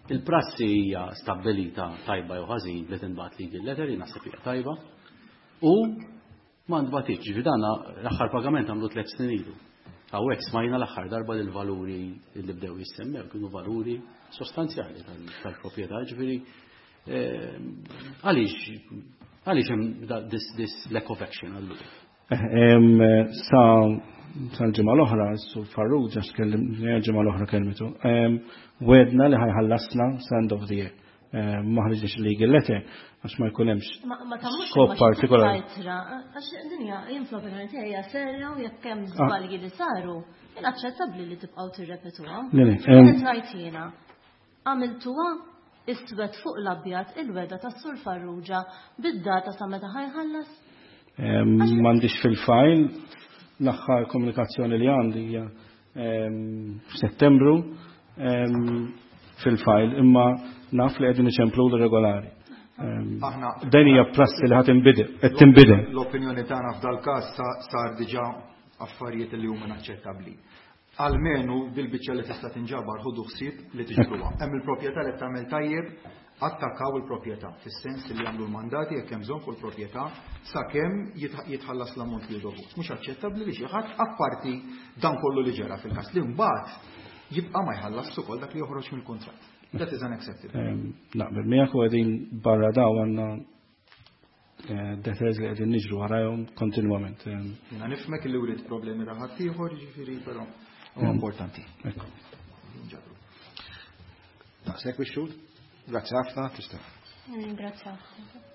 Il-prassi hija stabbilita tajba jew ħażin li tinbagħat legal letter, jien naħseb hija tajba, u ma ntbagħtitx, ġifieri dan l-aħħar pagament għamlu tliet snin ilu. Hawnhekk smajna l-aħħar darba li l-valuri li bdew jissemmew kienu valuri sostanzjali tal-proprjetà, ġifieri għaliex għaliex hemm this this lack of action allura? Sa sal-ġimgħa l-oħra, Sur Farrugia tkellim, ġimgħa l-oħra kelmitu, wedna li ħajħallasna sa end of the year. Ma ħriġniex legal letter għax ma jkun hemmx skop partikolari. Għax dinja jien fl-opinjoni tiegħi hija serja u jekk hemm żbalji li saru, inaċċettabbli li tibqgħu tirrepetuha. Qed ngħid jiena, għamiltuha iswed fuq l-abjad il-weda tas-Sur Farrugia bid-data sa meta ħajħallas? M'għandix fil-file, l-aħħar komunikazzjoni li għandi hija f'Settembru fil-file, imma naf li qegħdin iċemplu regolari. Dan hija prassi li ħadd inbidel, qed tinbidel. L-opinjoni tagħna f'dal-każ sar diġà affarijiet li huma inaċċettabbli. Almenu bil-biċċa li tista' tinġabar ħudu ħsieb li tiġbruha. Hemm il-proprjetà li tagħmel tajjeb, attakkaw il-proprjetà fis-sens li jagħmlu l-mandati jekk hemm bżonn fuq il-proprjetà sakemm jitħallas l-ammont li dovut. Mhux aċċettabbli li xi ħadd apparti dan kollu li ġara fil-każ li mbagħad jibqa' ma jħallas ukoll dak li joħroġ mill-kuntratt. That is unacceptable. Naqbel miegħek u qegħdin barra daw għandna debtors li qegħdin niġru warajhom kontinwament. Jiena nifhmek li wrid problemi ra ħadd ieħor, jiġifieri però huwa importanti. Daqshekk bix-xhud? Grazzi ħafna, tista'. Grazzi ħafna.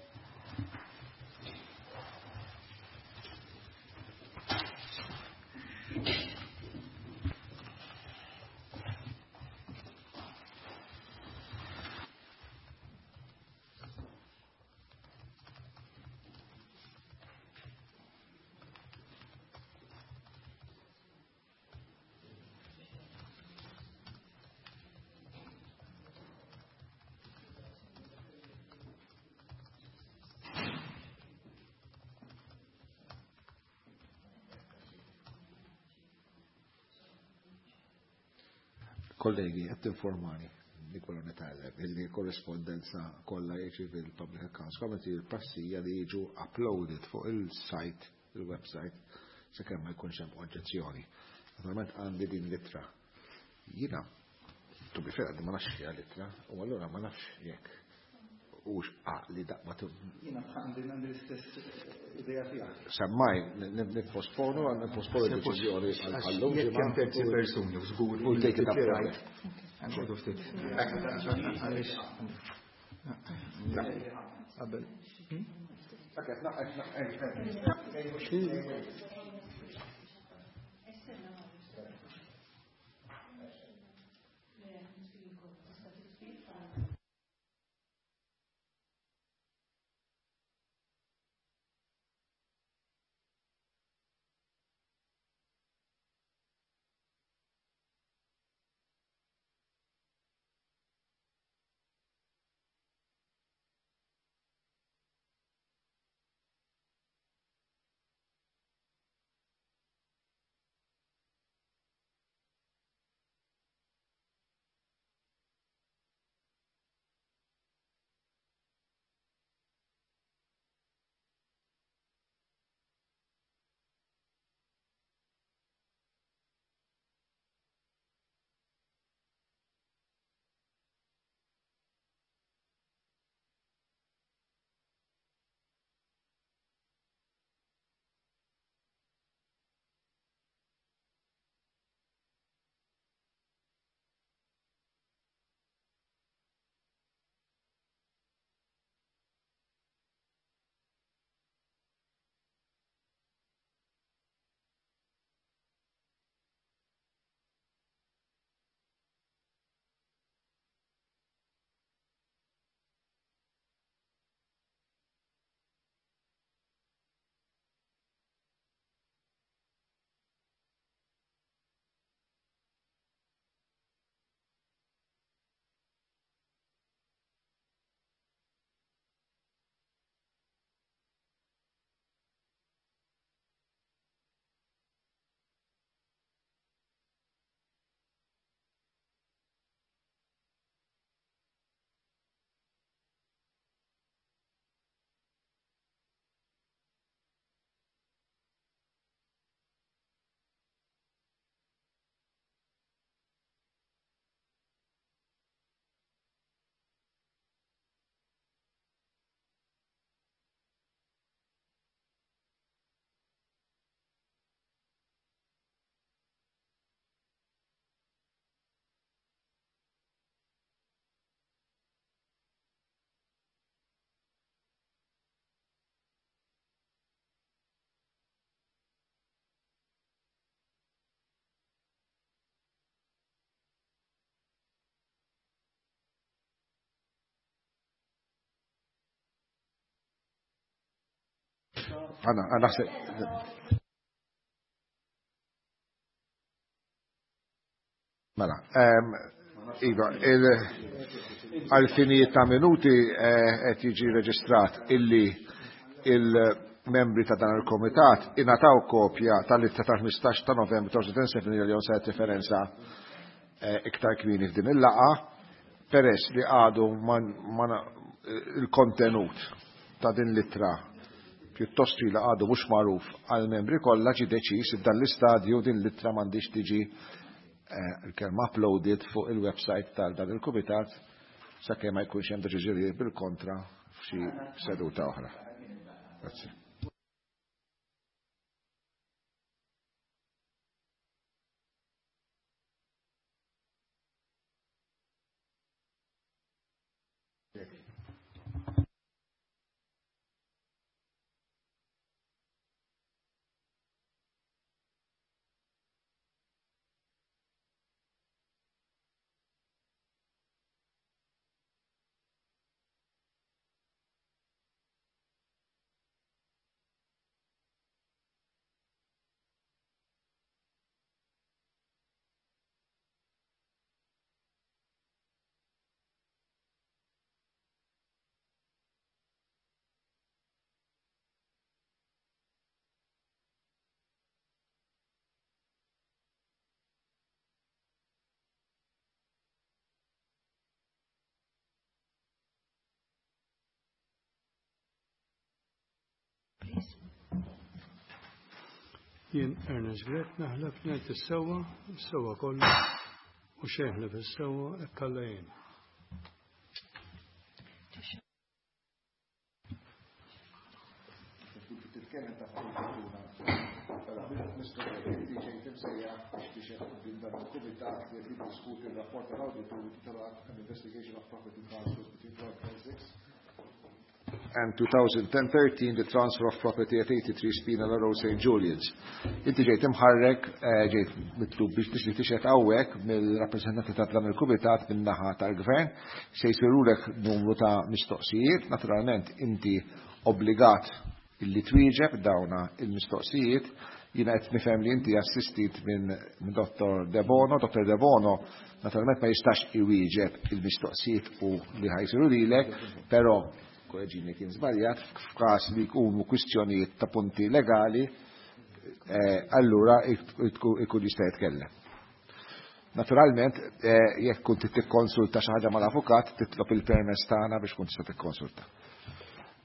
Kollegi, qed informani li kollu nitgħallem illi korrespondenza kollha jiġi fil-Public Accounts Committee il-prassi li jiġu uploaded fuq il-site, il-website, sakemm ma jkunx hemm oġġezzjoni. Naturalment għandi din l-ittra. Jiena, to be fair, ma nafx hija l-ittra, u allura ma nafx jekk hux għaqli daqma tu. Jiena għandi l-istess idea tiegħek. Semmaj, nipposponu, nipposponu d-deċiżjoni għal-lum. Jekk hemm terzi persuni, żgur. U take it up. Għandu ftit. Qabel. Għana, għana Mela, iva, għal-finijiet ta' minuti qed jiġi reġistrat illi il-membri ta' dan il-komitat ingħataw kopja tal-ittra tal-ħmistax ta' Novembru ta' elfejn u seba' referenza iktar kmieni f'din il-laqgħa, peress li għadu il-kontenut ta' din l-ittra pjuttost twila għadu mhux magħruf għall-membri kollha, ġie deċiż f'dan l-istadju din l-ittra m'għandix tiġi il-kelma uploaded fuq il-website tal dan il-kumitat sakemm ma jkunx hemm deċiżjonijiet bil-kontra f'xi seduta oħra. Grazzi. Jien Ernest Grech naħlef ngħid is-sewwa, is-sewwa kollu u xejn ħlef is-sewwa hekk Alla jien. Mister Inti ġejt imsejjaħ biex tixhed quddiem dan il-kumitat li qed jiddiskuti r-rapport tal-awditur intitolat An Investigation of Property Transfers between twenty oh six and twenty thirteen, the transfer of property at eighty-three Spinola Road, Saint Julian's. Inti ġejt imħarrek, ġejt mitlub biex tixli tixhed hawnhekk mill-rappreżentanti ta' dan il-kumitat min-naħa tal-gvern, se jsirulek numru ta' mistoqsijiet, naturalment inti obbligat illi twieġeb dawna il-mistoqsijiet. Jiena qed nifhem li inti assistit minn Dottor De Bono. Dottor De Bono naturalment ma jistax iwieġeb il-mistoqsijiet u li ħajsiru lilek, però korreġini kien żbaljat, f'każ li jkunu kwistjonijiet ta' punti legali, allura ikun jista' jitkellem. Naturalment, jekk kont tikkonsulta xi ħaġa mal-avukat, titlob il-permess tagħna biex kont tista' tikkonsulta.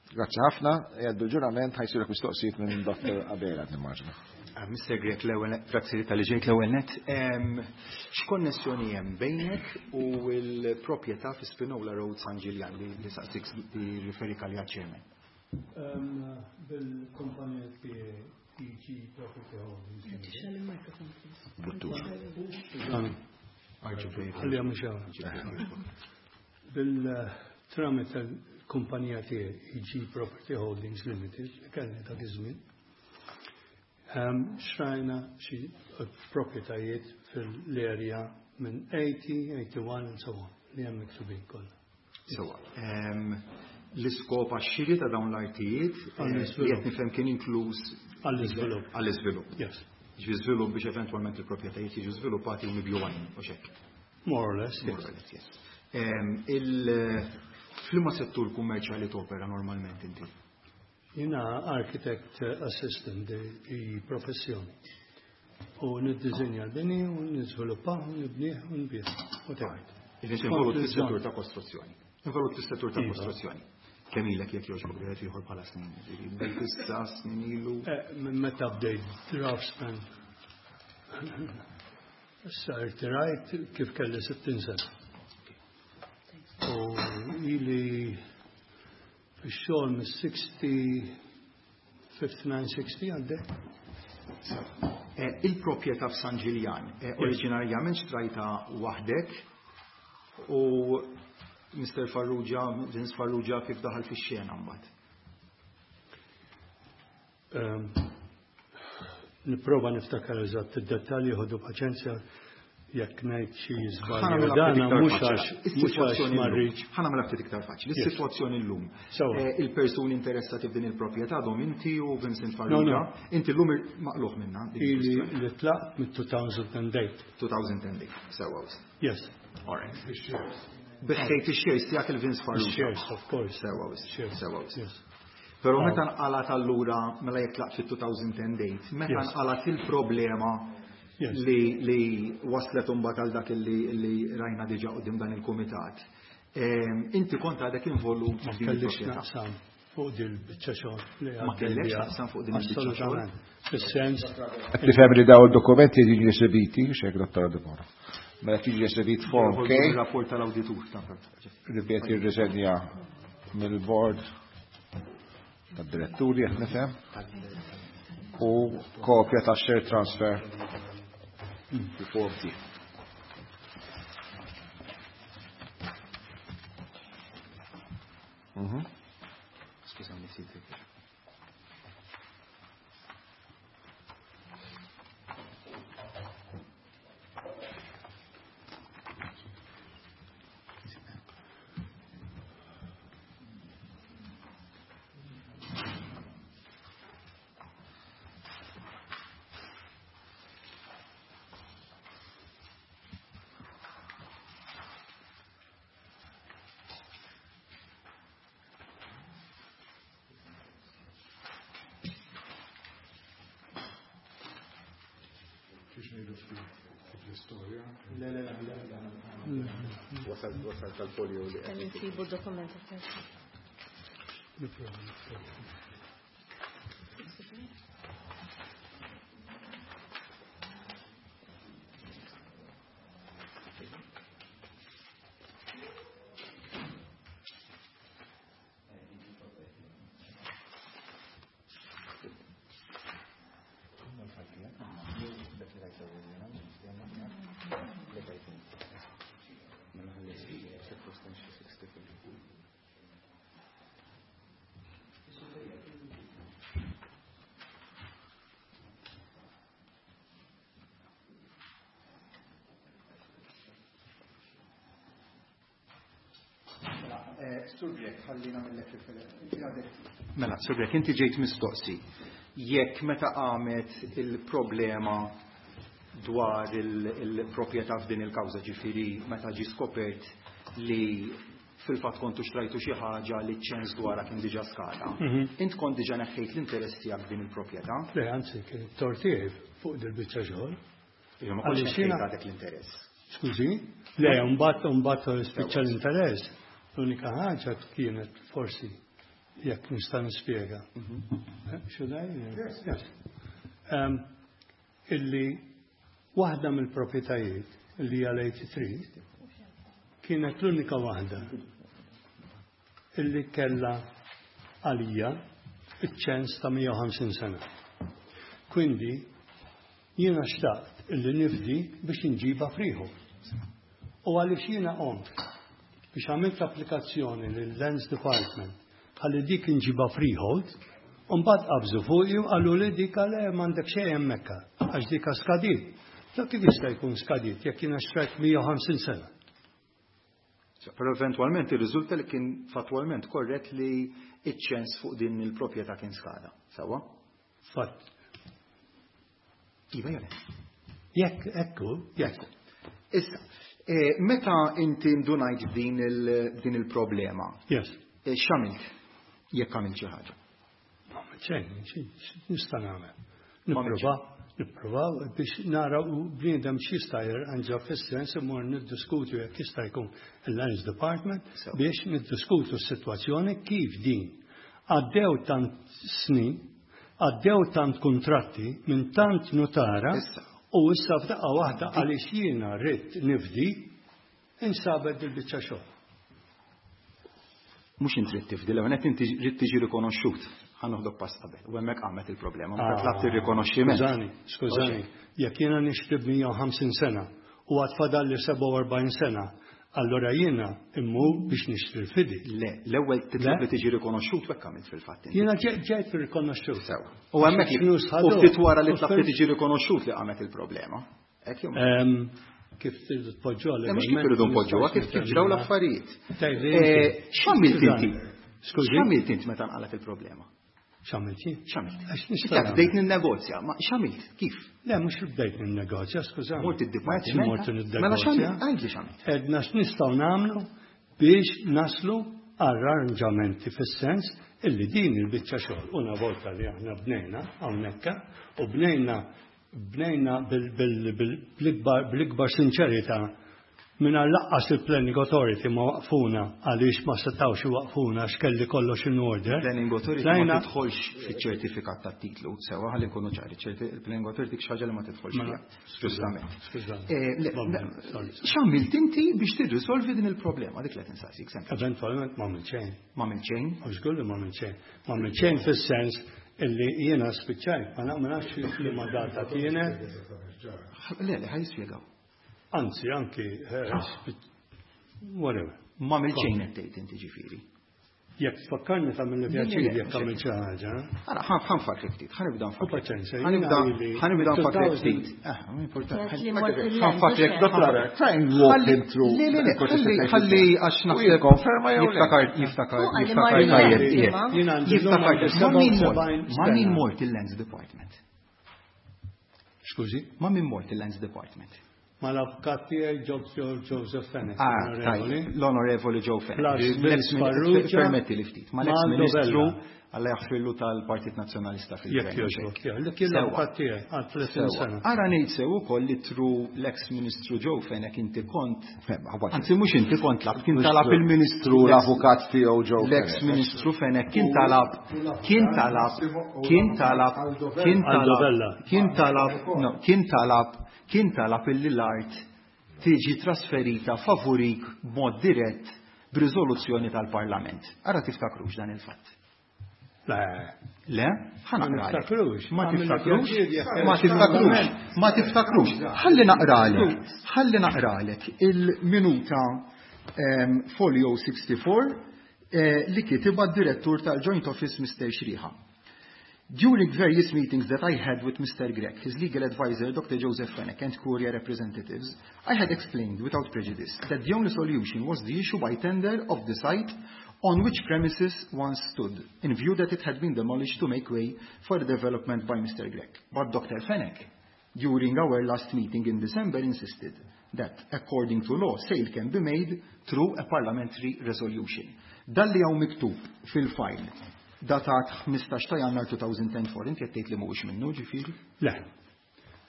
Grazzi ħafna, jgħaddu l-ġurament ħajsirek mistoqsijiet minn Dottor Abela, nimmaġna. Mister Grech, l-ewwel grazzi tal-li ġejt l-ewwel net. X'konnessjoni hemm bejnek u l-proprjetà fi Spinola Road San Ġiljan li saqsik li riferik għaliha chairman? Bil-kumpanija E G Property Holdings. Bil-tramite kumpanija tiegħi E G Property Holdings Limited li kellni dak iż-żmien. Xrajna xi proprjetajiet fil-area minn eighty, eighty-one and so on li hemm miktubin kollha. Sewa. L-iskop għax-xiri ta' dawn l-artijiet li qed nifhem kien inkluż għall-iżvilupp. Għall-iżvilupp. Yes. Ġifieri żvilupp biex eventwalment il-proprjetajiet jiġu żviluppati u mibjugħin u x'hekk. More or less, yes. More or less, yes. F'liema settur kummerċjali topera normalment inti? Jiena architect assistant di professjoni. U niddiżinja l-bini u niżviluppaw, nibnih u nbih. U tgħid. Jiġifieri involut fis-settur ta' kostruzzjoni. Involut fis-settur ta' kostruzzjoni. Kemm ilek jekk jogħġbok wieħed ieħor bħala snin? Bdejt issa snin ilu? Minn meta bdejt draftsman. Issa irtirajt kif kelli sittin sena. U ili fix-xogħol mis-sixty, fifty-nine, sixty għaddej. Il-proprjetà f'San Ġiljan, oriġinarjament xtrajta waħdek u Mister Farrugia, Vince Farrugia kif daħal fix-xena mbagħad? Nipprova niftakar eżatt id-dettalji, ħodu paċenzja jekk ngħid xi żball. Dana mhux għax mhux għax ma rridx. Ħa nagħmilha ftit iktar faċli. Is-sitwazzjoni llum. Il-persuni interessati f'din il-proprjetà għadhom inti u Vincent Farrugia. Inti llum maqluħ minnha. Ili li tlaqt mit-two thousand eight. two thousand eight. Sewwa. Yes. All right. Biħejt ix-shares tiegħek il-Vince Farrugia. Shares, of course. Sewwa. Sewwa. Però meta nqalat allura mela jekk tlaqt fit-two thousand eight, meta nqalat il-problema li li waslet imbagħad għal dak li rajna diġà quddiem dan il-kumitat. Inti kont għadek involut Ma kellix naqsam fuq din il-biċċa xogħol. Ma kellix naqsam fuq din il-biċċa xogħol. Fis-sens. Qed nifhem li dawn id-dokumenti jiġu esebiti, x'hekk Dottor De Bono. Mela jiġi esebit form K. Il-rapport tal-awditur ta' li qed jirriżenja mill-board tad-diretturi qed nifhem u kopja ta' share transfer form D. Mhm. Skużani, siti. Le, le, le, le. Wasal, wasal tal-folio li Kemm insibu d-dokumenti. Sur Grech, ħalli nagħmellek riferenza. Mela, Sur Grech, inti ġejt mistoqsi. Jekk meta qamet il-problema dwar il-proprjetà f'din il-kawża, ġifieri meta ġi skopert li fil-fatt kontu xtrajtu xi ħaġa li ċens dwarha kien diġà skada. Int kont diġà neħħejt l-interess tiegħek f'din il-proprjetà? Le, anzi, kien tort tiegħi fuq dil-biċċa xogħol. Ma kontx neħħejt għadek l-interess. Skużi? Le, mbagħad mbagħad spiċċa l-interess. L-unika ħaġa kienet forsi jekk nista' nispjega. Should I? Yes. Yes. Um, illi waħda mill-proprjetajiet li hija l-tmienja u tletin kienet l-unika waħda illi kella għalija iċ-ċens ta' mija u ħamsin sena. Quindi jiena xtaqt illi nifdi biex nġiba freehold. U għaliex jiena qomt biex għamilt applikazzjoni lill-Lands Department ħalli dik nġiba freehold, u mbagħad qabżu fuqi u qalu li dik għale m'għandek xejn hemmhekk għax dik skadiet. Ta' kif jista' jkun skadiet jekk jiena xtrajt mija u ħamsin sena? Però eventualment irriżulta li kien fatwalment korrett li iċ-ċens fuq din il-proprjetà kien skada. Sewwa? Fatt. Iva jew le? Jekk ekku, jekk. Issa, eh, meta inti ndunajt din il- din il-problema, Yes. eh, x'għamilt jekk għamilt xi ħaġa? Ma xejn, nista' nagħmel. Ma Nipprova, nipprova biex nara u bniedem x'jista' jirranġa fis-sens imur niddiskutu jekk jista' jkun il-Lands Department Sew. biex niddiskutu s-sitwazzjoni kif din. Għaddew tant snin, għaddew tant kontratti minn tant notara Issa. u issa f'daqqa waħda għaliex jiena rrid nifdi insabet dil-biċċa xogħol. Mhux inti trid tifdi, l qed inti trid tiġi rikonoxxut. Ħa noħdok pass qabel. U hemmhekk qamet il-problema. Meta tlabt ir-rikonoxximent. Skużani, skużani, jekk jiena nixtri mija u ħamsin sena u għad fadalli sebgħa u erbgħin sena, allora jiena immur biex nixtri l-fidi. Le, l-ewwel titlob Le? li tiġi rikonoxxut u hekk għamilt fil-fatt inti. Jiena ġejt ġejt rikonoxxut. Sewa. U hemmhekk li Flus u ħadu. ftit wara li U tlabt li fil- tiġi rikonoxxut li qamet il-problema. Hekk jew mhux? Em, Kif tridu tpoġġuha Le, mhux kif iridu npoġġuha, kif kif ġraw l-affarijiet. Tgħidli Eh, inti. X'għamilt inti? Skużi? X'għamilt inti meta nqalet il-problema? X'għamilt jien? X'għamilt? Għax nista' Inti bdejt ninnegozja, ma x'għamilt? Kif? Le, mhux bdejt ninnegozja, skużani. Mort id-dipartiment? Mort Mela x'għamilt? ninnegozja. Għidli x'għamilt. Edna x'nistgħu nagħmlu biex naslu arranġamenti fis-sens illi din il-biċċa xogħol una volta li aħna bnejna hawnhekk u bnejna bnejna bil- bil- bil- bl-ikbar bl-ikbar sinċerità minn lanqas il-Planning Authority ma waqfuna għaliex ma setawx waqfuna x'kelli kollox in order. Planning Authority ma Tlajna- tidħolx fiċ-ċertifikat tat-titlu, sewa ħalli nkunu ċari, ċerti- il-Planning Authority xi ħaġa li ma tidħolx Mela, fiha. Ġustament. Skużani. Eh, le, Vabbè, le, sorry. X'għamilt inti biex tirrisolvi din il-problema? Dik li qed insaqsik sempliċi. Eventualment ma għamilt xejn. Ma għamilt xejn? U żgur li ma għamilt xejn. Ma għamilt xejn fis-sens illi jiena spiċċajt, ma na- ma nafx li ma data kienet, Le, le, ħa jispjegaw. Anzi anki eh, spiċ- whatever. Ma għamilt xejn qed tgħid inti ġifieri. Jekk tfakkarni ta' mill Le, le, pjaċir le, jekk għamilt xi ħaġa. Ara, ħa nfakkrek ftit, ħa nibda U nfakkrek. paċenzja, Ħa nibda jiena ili ħa nibda nfakkrek two thousand ftit. Eh, importanti. Kienet li mort Ħa il-land, nfakkrek, mhux dottor. Try and walk Ħalli- him through Le, le, le, the ħalli conversation. ħalli għax U naħseb jikkonferma jew le? jiftakar jiftakar U għalli jiftakar mar il-land, tajjeb. imma. Jiena għandi Jiftakar l-lum ma' min mort sebgħa u sebgħin ma' min sena. mort il-Lands Department. Skużi, Ma' min mort il-Lands Department. Ma l-avukat tiegħi Doctor Joseph Fenech. Ah, onorevoli. tajjeb, l-Onorevoli Joe Fenech. Plus L-ex Vince Farrugia, Permetti li ftit. Ma ma' l-ex ministru Aldo Alla jaħfirlu tal-Partit Nazzjonalista Jekk fil-gvern. jogħġbok, tiegħi. Li kien Sewa. l-avukat tiegħi għal tletin Sewa. sena. Ara ngħid sew ukoll li through l-ex ministru Joe Fenech inti kont Fem, Anzi mhux inti kont tlab, kien talab il-ministru L-avukat tiegħu Joe l-ex Fenech. ministru Fenech kien talab kien talab kien talab kien Aldo talab Vella. kien talab no, kien talab kien talab illi l-art tiġi trasferita favorik b'mod dirett b'riżoluzzjoni tal-Parlament. Ara tiftakrux dan il-fatt. Le, Le? Ħa Ma naqralek. niftakrux. Ma Għamilna tiftakrux? pjaċir jekk Ma tiftakrux. Ma tiftakrux. Ħalli naqralek. Ħalli naqralek il-minuta em, folio sixty-four eh, li kitibha d-direttur tal-Joint Office Mister Xriħa. During various meetings that I had with Mister Grech, his legal advisor, Doctor Joseph Fenech, and Curia representatives, I had explained without prejudice that the only solution was the issue by tender of the site on which premises once stood, in view that it had been demolished to make way for the development by Mister Grech. But Doctor Fenech, during our last meeting in December, insisted that, according to law, sale can be made through a parliamentary resolution. Dan li hawn miktub fil-file, datat ħmistax ta' Jannar two thousand and four, inti qed tgħid li mhuwiex minnu, ġifieri? Le.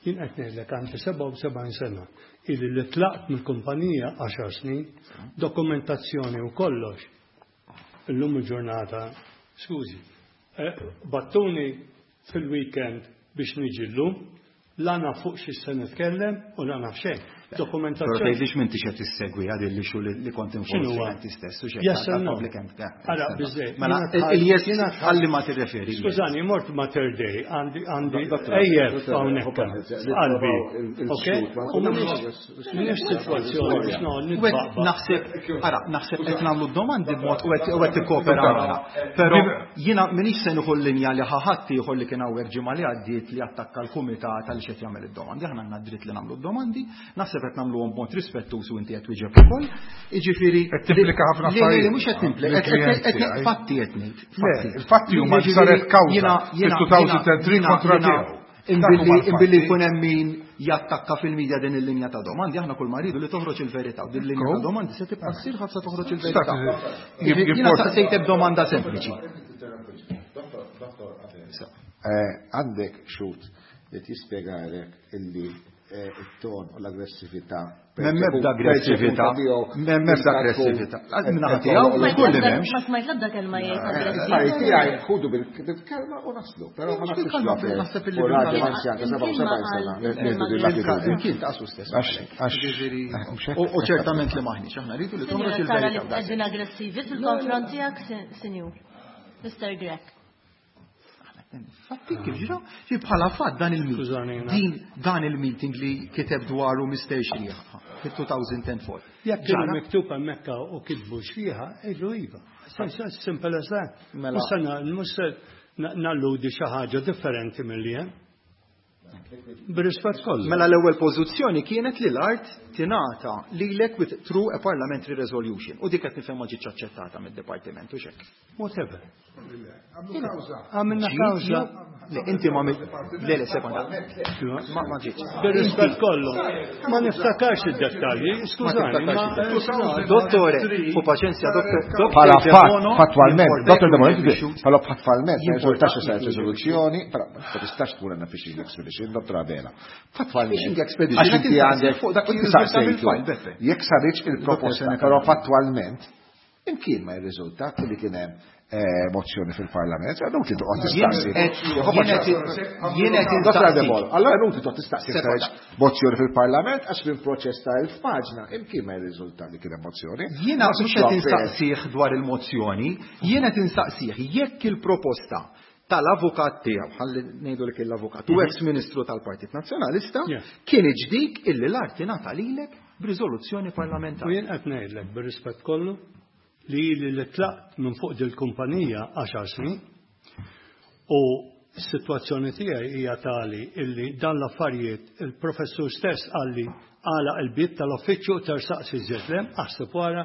Jien qed ngħidlek għandi sebgħa u sebgħin sena ili li tlaqt mill-kumpanija għaxar snin, dokumentazzjoni u kollox. Illum il-ġurnata, skużi, eh, bagħtuni fil-weekend biex niġi llum, la naf fuq xi se nitkellem u la naf xejn. Però Dokumentazzjoni. Tgħidlix m'intix qed issegwi għad il-issue li li kont X'inhu huwa? involved inti stess u xejn Yes or no? tal-public ent- Ara, biżejjed. Mela, Jiena tħall- il-yes jiena tħall- ħalli ma tirreferi. Skużani, mort Mater Dei, għandi għandi Dottor, ejjef dottor, hawnhekk qalbi. Ok? U m'iniex m'iniex sitwazzjoni biex noqgħod U qed nitbaqbaq. naħseb, ara, naħseb qed nagħmlu domandi b'mod u qed u qed tikkopera magħna. Però jiena m'iniex se nieħu l-linja li ħadd ieħor li kien hawnhekk ġimgħa li għaddiet li attakka l-kumitat għaliex qed jagħmel id-domandi. Aħna għandna dritt li nagħmlu d-domandi, naħseb qed nagħmluhom b'mod rispettuż u inti qed twieġeb ukoll. Jiġifieri Qed timplika ħafna li- li- li affarijiet. mhux qed nimplika, Li qed- qed- klijenti qed tiegħi. fatti qed ngħid. Le, Fatti. il-fatti huma li Jiġifieri, saret kawża jiena- jiena- fil-two thousand and three jiena- kontra jiena- tiegħu. Dak Imbilli huma l-fatti. imbilli jkun hemm min jattakka fil-medja din il-linja ta' domandi, aħna kull ma rridu li toħroġ il-verità. U din il-linja ta' domandi se tibqa' ssir ħafna toħroġ il-verità. Jib- Jiena jib- saqsejtek domanda sempliċi. Eh, Għandek xhud li tispjegalek illi eh, it-ton u l-aggressività. M'hemm ebda aggressività. M'hemm ebda aggressività. Min-naħa tiegħu Ma żgur li m'hemmx. Ma smajt l-ebda kelma jgħid Affarijiet aggressiv. tiegħi ħudu bil-kelma u naslu, però ma naħsibx Bil-kelma, li naħseb illi u raġel bil-kelma. anzjan ta' sebgħa u sebgħin sena li nieħdu din l-attitudni. Imkien taqsu stess. Għax- għax- Ġifieri, mhux hekk. U u ċertament li maħniex, aħna rridu li toħroġ Sinjura, tara li il-verità. qegħdin aggressivi fil-konfront tiegħek, sinjur. Mister Grech. Fatti kif ġra, ġi bħala fatt dan il-meeting. Skużani, jiena. Din dan il-meeting li kiteb dwaru Mister Sciriha fil-two thousand and four. Jekk kienu Ġara, miktub hemmhekk u kitbu xfiha, ejdu iva. Simple as that. Mela. Mhux se na- mhux se na- nalludi xi ħaġa differenti milli hemm. Bir-rispett kollu. Mela l-ewwel pożizzjoni kienet li l-art tingħata lilek with through a parliamentary resolution. U dik qed nifhem ma ġietx aċċettata mid-dipartiment u xek. Whatever. Għamlu kawża. Għamilna kawża. Le, inti ma le le sekonda. Ma ma ġietx. Bir-rispett kollu. Ma niftakarx id-dettalji, skużani. Ma ma- tiftakarx. Dottore, fu paċenzja, doktor. Bħala Dr. fatt, Debono, fattwalment, jimporta Dottor Debono, jkun hemm bħala fattwalment, ma Jimporta jirriżultax li saret jkun riżoluzzjoni, però ma tistax tkun għandna fishing expedition, Dottor Abela. Fattwalment. Fishing expedition, Għax inti qed għandek, fuq dak li inti jirriżulta saqsejtu, mill-file, Beppe. jekk saritx il-proposta, Dottor però fattwalment, imkien ma jirriżulta li kien hemm eh, mozzjoni fil-Parlament, għadu ti toqgħod tistaqsi. Jien qed Dottor instaqsi. Debono, allora inutli toqgħod tistaqsi Sekonda. saritx mozzjoni fil-Parlament għax fil-proċess ta' elf paġna imkien ma jirriżulta li kien hemm mozzjoni. Jiena Ma mhux sibx qed fair. instaqsih dwar il-mozzjoni, jien qed instaqsih jekk il-proposta tal-avukat tiegħu, ħalli ngħidu li kien l-avukat, u ex-ministru tal-Partit Nazzjonalista, Yeah. kien dik illi l-art tingħata lilek b'riżoluzzjoni U parlamentari. jien qed ngħidlek bir-rispett kollu li li li tlaqt minn fuq dil-kumpanija għaxar snin u s-sitwazzjoni tiegħi hija tali illi dan l-affarijiet il-professur stess qalli għala il-bib tal-uffiċċju tersaqsi żedlem aħseb wara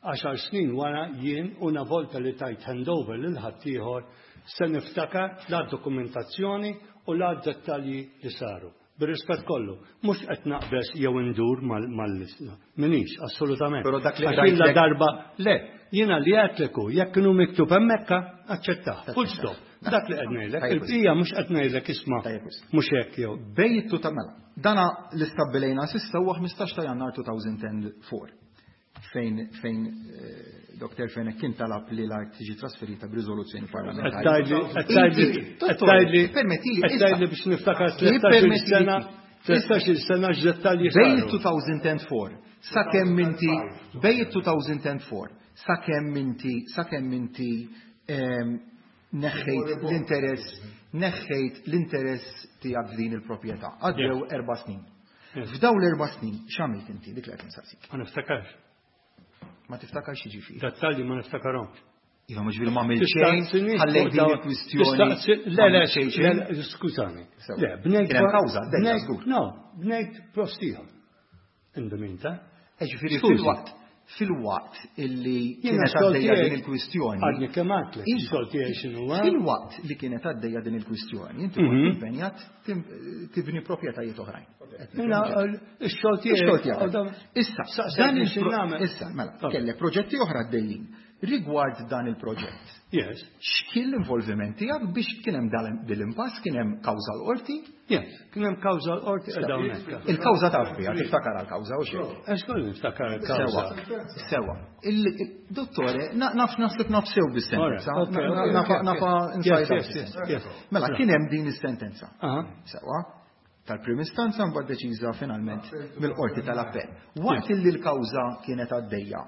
għaxar snin wara jien una volta li tajt handover lil ħaddieħor se niftakar la dokumentazzjoni u la dettalji li saru. Bir-rispett kollu, mhux qed naqbeż jew indur mal-lista. Minix, assolutament. Però dak li Għax jien la rajtlek- darba, le, jiena li għedtlek hu, jekk kienu miktub hemmhekk, aċċettah. Full stop. Dak li qed ngħidlek, Tajjeb. il-bqija mhux qed ngħidlek isma' Tajjeb wisq. mhux hekk jew. Bejtu ta' mela. Dana li stabbilejna s'issa huwa ħmistax ta' Jannar two thousand and four fejn fejn eh, Doctor Fenech kien talab li l-art tiġi trasferita b'riżoluzzjoni parlamentari. Qed tgħidli- qed tgħidli- Inti, qed dottore, tgħidli- permettili, qed issa. tgħidli biex niftakar tlettax-il Ippermettili- sena, tlettax-il sena x'dettalji Bejn saru. two thousand and four sakemm inti bejn two thousand and four sakemm inti sakemm inti ehm, neħħejt l-interess neħħejt l-interess tiegħek f'din il-proprjetà. Għaddew erba' snin. Yes. F'daw l-erba' snin x'għamilt inti dik li qed insaqsik? Ma niftakarx. Ma tiftakarx xiġifieri. Dettalji ma niftakarhomx. Iva mhux ġifieri ma għamilt xejn, Tistaqsinix ħallejt fuq din dawn- il-kwistjoni. tistaqsi- Le, ma le, għamilt xejn xejn. le, le, skużani. Sewa. Le, bnejt. Kien hemm kawża, dejja, bnejt- żgur. No, bnejt post ieħor. In the meantime. Eh, ġifieri Skużi. fil-waqt Fil-waqt illi kienet għaddejja din il-kwistjoni. Għadni kemm għedtlek, xogħol tiegħi x'inhu. Fil-waqt li kienet għaddejja din il-kwistjoni, inti kont mhm. impenjat tibni proprjetajiet oħrajn. Ix-xogħol tiegħi. Issa, dan issa, mela, kellek proġetti oħra għaddejjin. Rigward dan il-proġett. Yes. X'kien l-involviment tiegħek biex kien hemm dal-impass, kien hemm kawża l-qorti? Yes, kien hemm kawża l-qorti Il-kawża taf biha, tiftakar għall-kawża u xejn. Għax niftakar il-kawża. Sewa. Il-dottore, naf naħseb naf sew bis-sentenza. Nafa inside. Mela, kien hemm din is-sentenza. Sewa tal-prim istanza mbagħad deċiża finalment mill-qorti tal-appell. Waqt li l-kawża kienet għaddejja,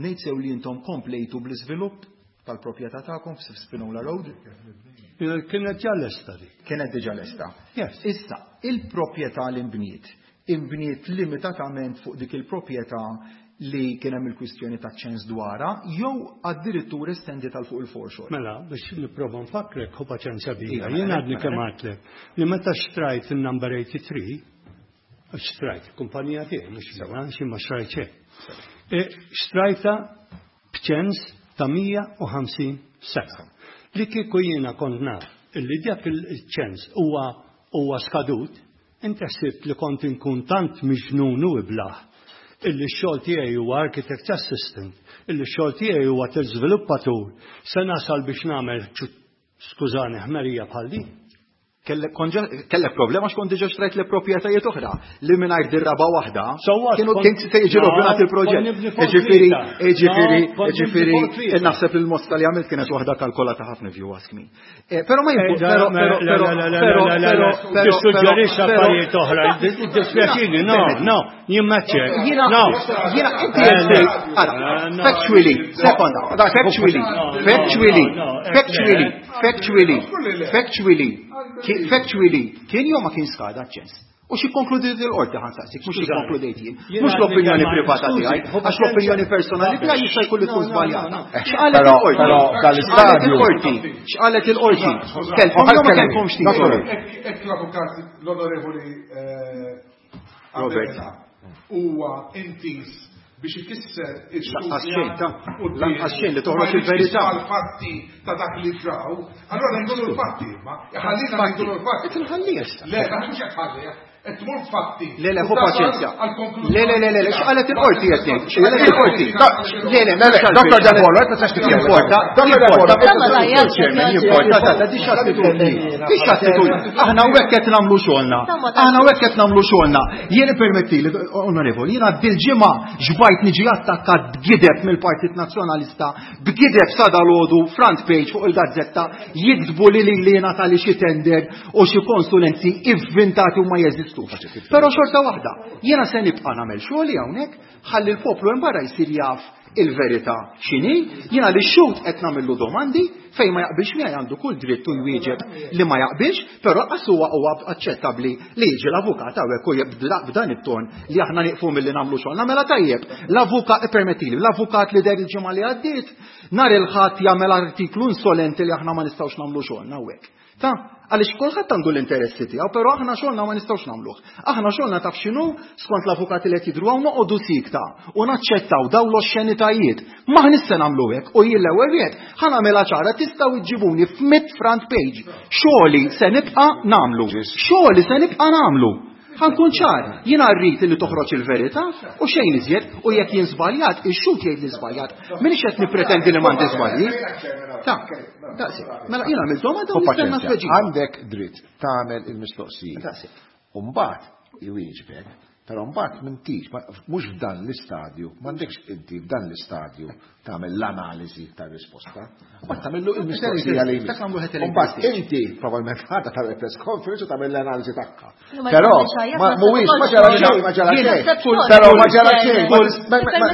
ngħid sew li intom komplejtu bl-iżvilupp tal-proprjetà tagħkom f'Spinola Road? Kienet ġa lesta dik. Kienet diġà lesta. Issa, il-proprjetà li nbniet, inbniet limitatament fuq dik il-proprjetà li kien hemm il-kwistjoni ta' ċens dwarha, jew addirittura estendi tal fuq il-foreshore. Mela, biex nipprova nfakkrek, ħu paċenzja bija. Jien għadni kemm għedtlek li meta xtrajt il-number eighty-three, xtrajt, kumpanija tiegħi, mhux sewa, xi ma xtrajt xejn. Xtrajta b'ċens ta' mija u ħamsin sena. Li kieku jiena kont naf illi dak il-ċens huwa huwa skadut, inti ħsibt li kont inkun tant miġnun u iblaħ illi x-xogħol tiegħi huwa architect assistant, illi x-xogħol tiegħi huwa tal-żviluppatur, se nasal biex nagħmel, skużani, ħmerija bħal din. Kellek problema x'kont diġà xtrajt le proprjetajiet oħra li mingħajr dirraba waħda kienu kien se jiġi rovinat il-proġett. Ġifieri, ġifieri, ġifieri, naħseb li l-mosta li għamilt kienet waħda kalkolata ħafna if you ask me. Però ma jimpu, però, però, però, però, però, tissuġġerixx affarijiet oħra, dispjaċini, no, no, jien m'għedtx. Jiena, jiena, inti factually, sekonda, factually, factually, factually, factually, factually, factually, kien jew ma kien skada ċens. U xi konkludiet il-qorti ħa nsaqsik, mhux xi konkludejt jien. Mhux l-opinjoni privata tiegħi, għax l-opinjoni personali tiegħi jista' jkun li tkun żbaljata. X'qalet il-qorti? X'qalet il-qorti? X'qalet il-qorti? Kellkom jew ma kellkomx titolu? Hekk l-avukat l-onorevoli Robert huwa intis biex ikisser Lanqas xejn, ta' lanqas xejn li toħroġ il-verità. Fatti ta' dak li ġraw, allora ngħidu l-fatti, ma ħallina ngħidu l-fatti. Qed inħallih issa. Le, mhux qed ħallih, qed tmur fatti. Le, le, ħu paċenzja. Le, le, le, le, x'qalet il-qorti qed ngħid? X'qalet il-qorti? Le, le, Doktor Depolo, qed ma tistax titkellem. Jimporta, jimporta, jimporta, ta' di x'attitudni. Di x'attitudni. Aħna hawnhekk qed nagħmlu xogħolna. Aħna hawnhekk qed nagħmlu xogħolna. Jien ippermettili, onorevoli, jiena dil-ġimgħa ġbajt niġi attakkat b'gideb mill-Partit Nazzjonalista, b'gideb sa dalgħodu front page fuq il-gazzetta jiktbu li li jiena tali xi tender u xi konsulenzi ivvintati u ma jeżistux. Però xorta waħda, jiena se nibqa' nagħmel xogħli hawnhekk ħalli l-poplu hemm barra jsir jaf il-verità x'inhi, jiena li xhud qed nagħmillu domandi fejn ma jaqbilx miegħi għandu kull dritt u jwieġeb li ma jaqbilx, però qas huwa huwa aċċettabbli li jiġi l-avukat hawnhekk u jibda b'dan it-ton li aħna nieqfu milli nagħmlu xogħolna. Mela tajjeb, l-avukat ippermettili, l-avukat li der il-ġimgħa li għaddiet nhar il-Ħadd jagħmel artiklu insolenti li aħna ma nistgħux nagħmlu xogħolna hawnhekk. Ta' għaliex kulħadd għandu l-interessi tiegħu, però aħna xogħolna ma nistgħux nagħmluh. Aħna xogħolna taf x'inhu skont l-avukati li qed jidhru hawn noqogħdu sikta u naċċettaw dawn l-oxxenitajiet. Ma ħnissa se nagħmlu hekk u jien l-ewwel wieħed ħa nagħmilha ċara tistgħu iġġibuni f'mit front page. Xogħli se nibqa' nagħmlu. Xogħli se nibqa' nagħmlu. Ħa nkun ċar, jiena rrid li toħroġ il-verità u xejn iżjed u jekk jien żbaljat, ix-xhud jgħid li żbaljat. Minix qed nippretendi li m'għandi żbalji. Ta' daqsi. Mela jiena għamilt domanda u nistenna tweġiba. Għandek dritt tagħmel il-mistoqsija. Daqsi. U mbagħad iwieġbek, però mbagħad m'intix, mhux f'dan l-istadju, m'għandekx inti f'dan l-istadju tagħmel l-analiżi tar-risposta. Ma tagħmillu il-mistoqsija li jmiss. U mbagħad inti probabbilment ħadha tagħmel press conference u tagħmel l-analiżi tagħha. Però mhuwiex ma ġara xejn, ma ġara xejn. Però ma ġara xejn.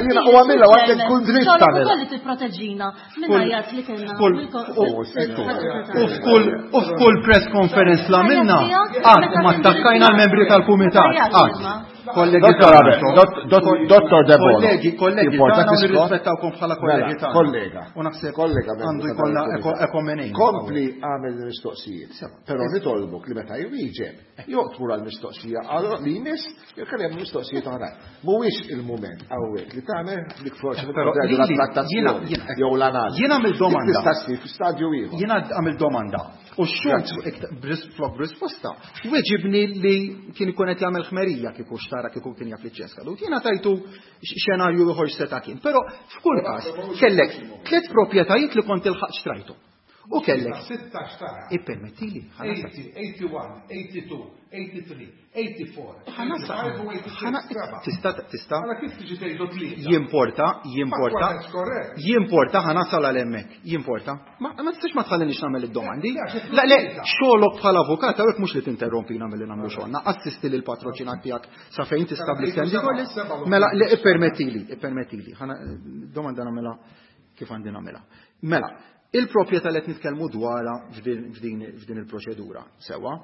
Jiena u għamilha u għandek kull dritt tagħmel. Ukoll li tipproteġina minn għajat li kellna. U f'kull u f'kull press conference la minna qatt ma attakkajna l-membri tal-kumitat. Qatt. Kollegi Dottor Debono. Kollegi, kollegi, tagħna nirrispettawkom bħala kollegi tagħna. Kollega. U naħseb kollega għandu jkollna ekomenejn. Kompli għamel mistoqsijiet. Però nitolbok li meta jwieġeb, jew tmur għall-mistoqsija li jmiss, jew kellem hemm mistoqsijiet oħrajn. Mhuwiex il-mument hawnhekk li tagħmel dik forsi la trattazzjoni jew l-analiżi. Jiena għamil domanda. Tista' ssir fi stadju ieħor. Jiena għamil domanda. U x-xhud flok b'risposta weġibni li kien ikun qed jagħmel ħmerija kieku xtara kieku kien jaf li ċens kadut. Jiena tajtu xenarju ieħor seta' kien. Però f'kull każ kellek tliet proprjetajiet li kont ilħaq xtrajtu. U kellek. Sitta xtara. Ippermettili. eighty, eighty-one, eighty-two, eighty-three, eighty-four. Tista' tista' Għala kif tiġi tgħidu tlieta? Jimporta, jimporta. Jimporta ħa nasal għal hemmhekk. Jimporta. Ma ma tistax ma tħallinix nagħmel id-domandi. La le, xogħolok bħala avukat hawnhekk mhux li tinterrompina milli nagħmlu xogħolna. Assisti lil patroċinat tiegħek sa fejn tista' bl-istess. Mela, le, ippermettili, ippermettili. Domanda nagħmilha kif għandi nagħmilha. Mela, il-proprjetà li qed nitkellmu dwarha f'din il-proċedura, sewa,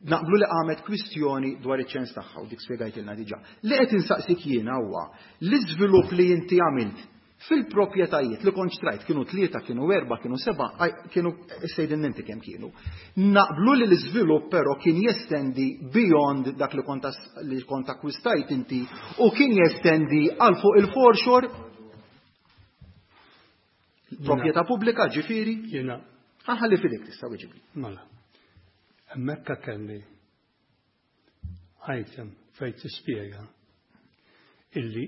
naqblu li qamet kwistjoni dwar iċ-ċens tagħha u dik spjegajtilna diġà. Li qed insaqsik jiena huwa l-iżvilupp li inti għamilt fil-proprjetajiet li kont xtrajt, kienu tlieta, kienu erba, kienu seba, kienu sejdin inti kemm kienu. Naqblu li l-iżvilupp però kien jestendi beyond dak li kont li kont akkwistajt inti u kien jestendi għal fuq il-foreshore, proprjetà pubblika, ġifieri? Jiena. Ħalli f'idek, tista' weġibli. Mela. Hemmhekk kelli item fejn tispjega illi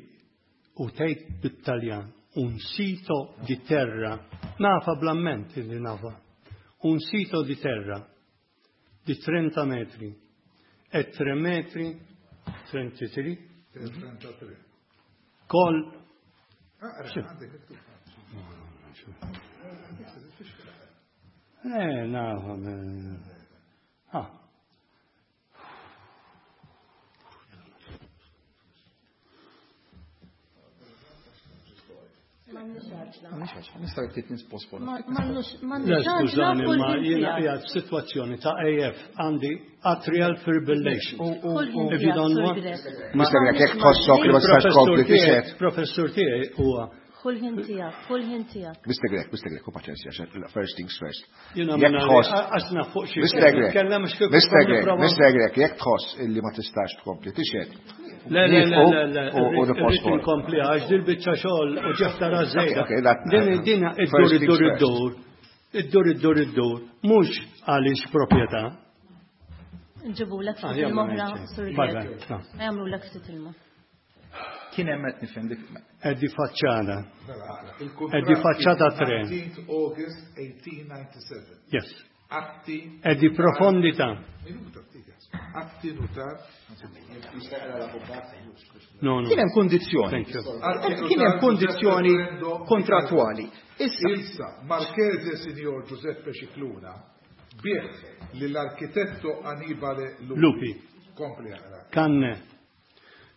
u tgħid bit-Taljan un sito di terra, nafa bl-amment illi nafa, un sito di terra di trenta metri e tre metri trentatré trentatré. Kol Ah, Eh, nafa. Ah. Nista' ftit nisposponu. Le, skużani, ma jiena qiegħed f'sitwazzjoni ta' A F, għandi atrial fibrillation. If you don't want. Mister Grech, jekk tħossok li ma tistax tkompli tixhed. Professur tiegħi huwa Kull ħin tiegħek, kull ħin tiegħek. Mister Grech, Mister Grech, u paċenzja, first things first. Jiena Jekk tħoss. għax naf fuq xi Mister Grech, nitkellem għax kieku Mister Grech, nipprova- Mister Grech, jekk tħoss illi ma tistax tkompli tixhed. Le, le, le, le, le, U irrid nipposponu. inkompli għax dil biċċa xogħol u ġefta rażejda. Okay, that- Din din iddur first things iddur first. iddur. Iddur iddur iddur. Mhux għaliex proprjetà. Nġibulek Ah, ftit jagħmlu ilma oħra, ngħid. Sur Vabbè, Grech. no. Jagħmlulek ftit ilma. Kien hemm qed nifhem dik. È di facciata. Il-kuntratt È di facciata tre. nineteenth August eighteen ninety-seven. Yes. Atti È di profondità. Minuta ftit. Atti notar. No, no. Kien hemm kondizzjoni. Thank you. Kien hemm kondizzjoni kontrattwali. Issa, Issa, Marchese Signor Giuseppe Scicluna biegħ lill-arkitetto Annibale Lupi. Lupi. Kompli aqra. Canne.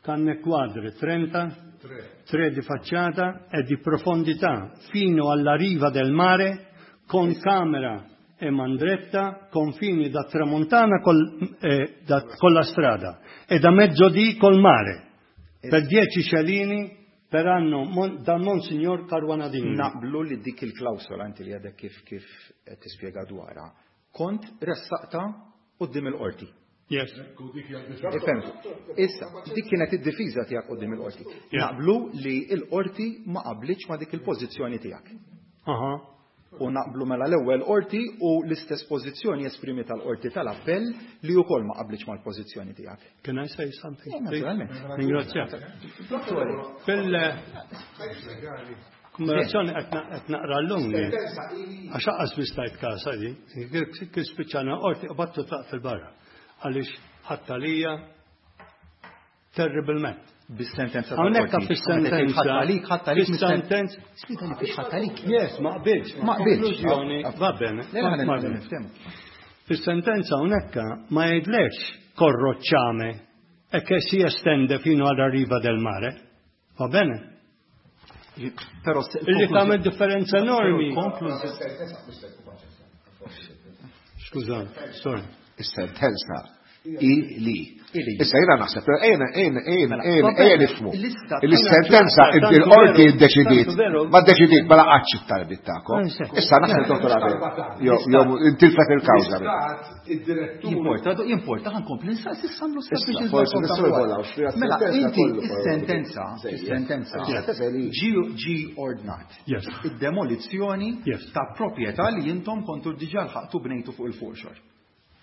Canne quadre trenta, Tre. tre di facciata e di profondità fino alla riva del mare con camera e mandretta, confini da tramontana col, eh, da- con la strada e da mezzodì col mare per dieci scellini per anno mon, da Monsignor Caruana Dingli. Naqblu li dik il-klawsola inti li għadek kif kif qed tispjega dwarha, kont ressaqta quddiem il-qorti. Yes. Ifhem. Issa, dik kienet id-difiża tiegħek quddiem il-qorti. Yeah. Naqblu li l-qorti ma qablitx ma dik il-pożizzjoni tiegħek. Aha. U naqblu mela l-ewwel qorti u l-istess pożizzjoni esprimi tal-qorti tal-appell li wkoll ma qablitx mal-pożizzjoni tiegħek. Can I say something? Eh, naturalment. Ringrazzjak. Fil kombinazzjoni qed naqra llum li għax aqqas mistajt kasa di, kif spiċċana qorti qbattu tlaq fil-barra għaliex ħadd għalija terribilment. Bis-sentenza Hawnhekk tal-qorti. fis-sentenza. Ħadd għalik, ħadd għalik Fis-sentenza. Spiega li kif ħadd għalik. Yes, ma qbilx. Ma qbilx. Konklużjoni, va bene. Le, le, Va le, bene. niftehmu. Fis-sentenza hawnhekk ma jgħidlekx corrocciame e che si estende fino alla riva del mare. Va bene? Però se- Illi tagħmel differenza enormi. Konklużjoni. Skużani, sorry. Is-sentenza Ili. Issa jiena naħseb, ejna, ejna, ejna, ejna, ejna nifhmu. Il-sentenza il-qorti ddeċidiet, ma ddeċidiet, ma laqatx it-talbiet tagħkom. Issa naħseb Dottor Abela, jew intilfet il-kawża. Jimporta, jimporta, ħa nkompli nsaqsi samlu sabiex. Mela, inti is-sentenza, is-sentenza ġi ordnat. Id-demolizzjoni ta' proprjetà li intom kontu diġà lħaqtu bnejtu fuq il-foreshore.